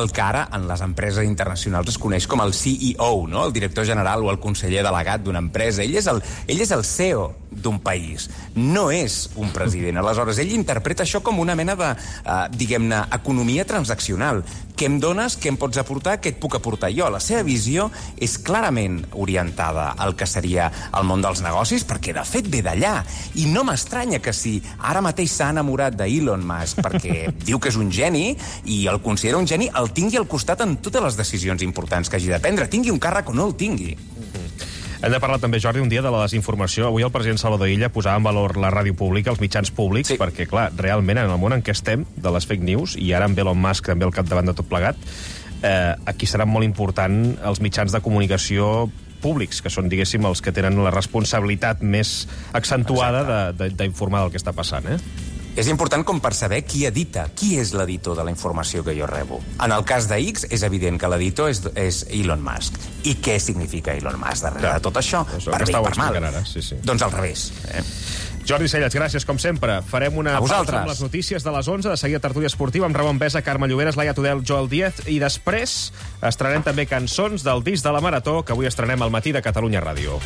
el que ara en les empreses internacionals es coneix com el C E O, no? El director general o el conseller delegat d'una empresa. Ell és el, ell és el C E O d'un país, no és un president. Aleshores, ell interpreta això com una mena de, uh, diguem-ne, economia transaccional. què em dones, què em pots aportar, què et puc aportar jo. La seva visió és clarament orientada al que seria el món dels negocis, perquè de fet ve d'allà. I no m'estranya que si ara mateix s'ha enamorat d'Elon Musk perquè diu que és un geni i el considera un geni, el tingui al costat en totes les decisions importants que hagi de prendre, tingui un càrrec o no el tingui. Hem de parlar també, Jordi, un dia de la desinformació. Avui el president Salvador Illa posava en valor la ràdio pública, els mitjans públics, sí. perquè, clar, realment, en el món en què estem, de les fake news, i ara amb Elon Musk també al capdavant de tot plegat, eh, aquí seran molt important els mitjans de comunicació públics, que són, diguéssim, els que tenen la responsabilitat més accentuada d'informar del que està passant, eh? És important com per saber qui edita, qui és l'editor de la informació que jo rebo. En el cas de X, és evident que l'editor és, és Elon Musk. I què significa Elon Musk darrere de tot això? Per bé i per mal. Ara, sí, sí. Doncs al revés. Eh? Jordi Cellets, gràcies, com sempre. Farem una pausa amb les notícies de les onze, de seguida tertúlia esportiva amb Ramon Besa, Carme Lloberes, Laia Tudel, Joel Díaz, i després estrenem també cançons del disc de la Marató, que avui estrenem al matí de Catalunya Ràdio.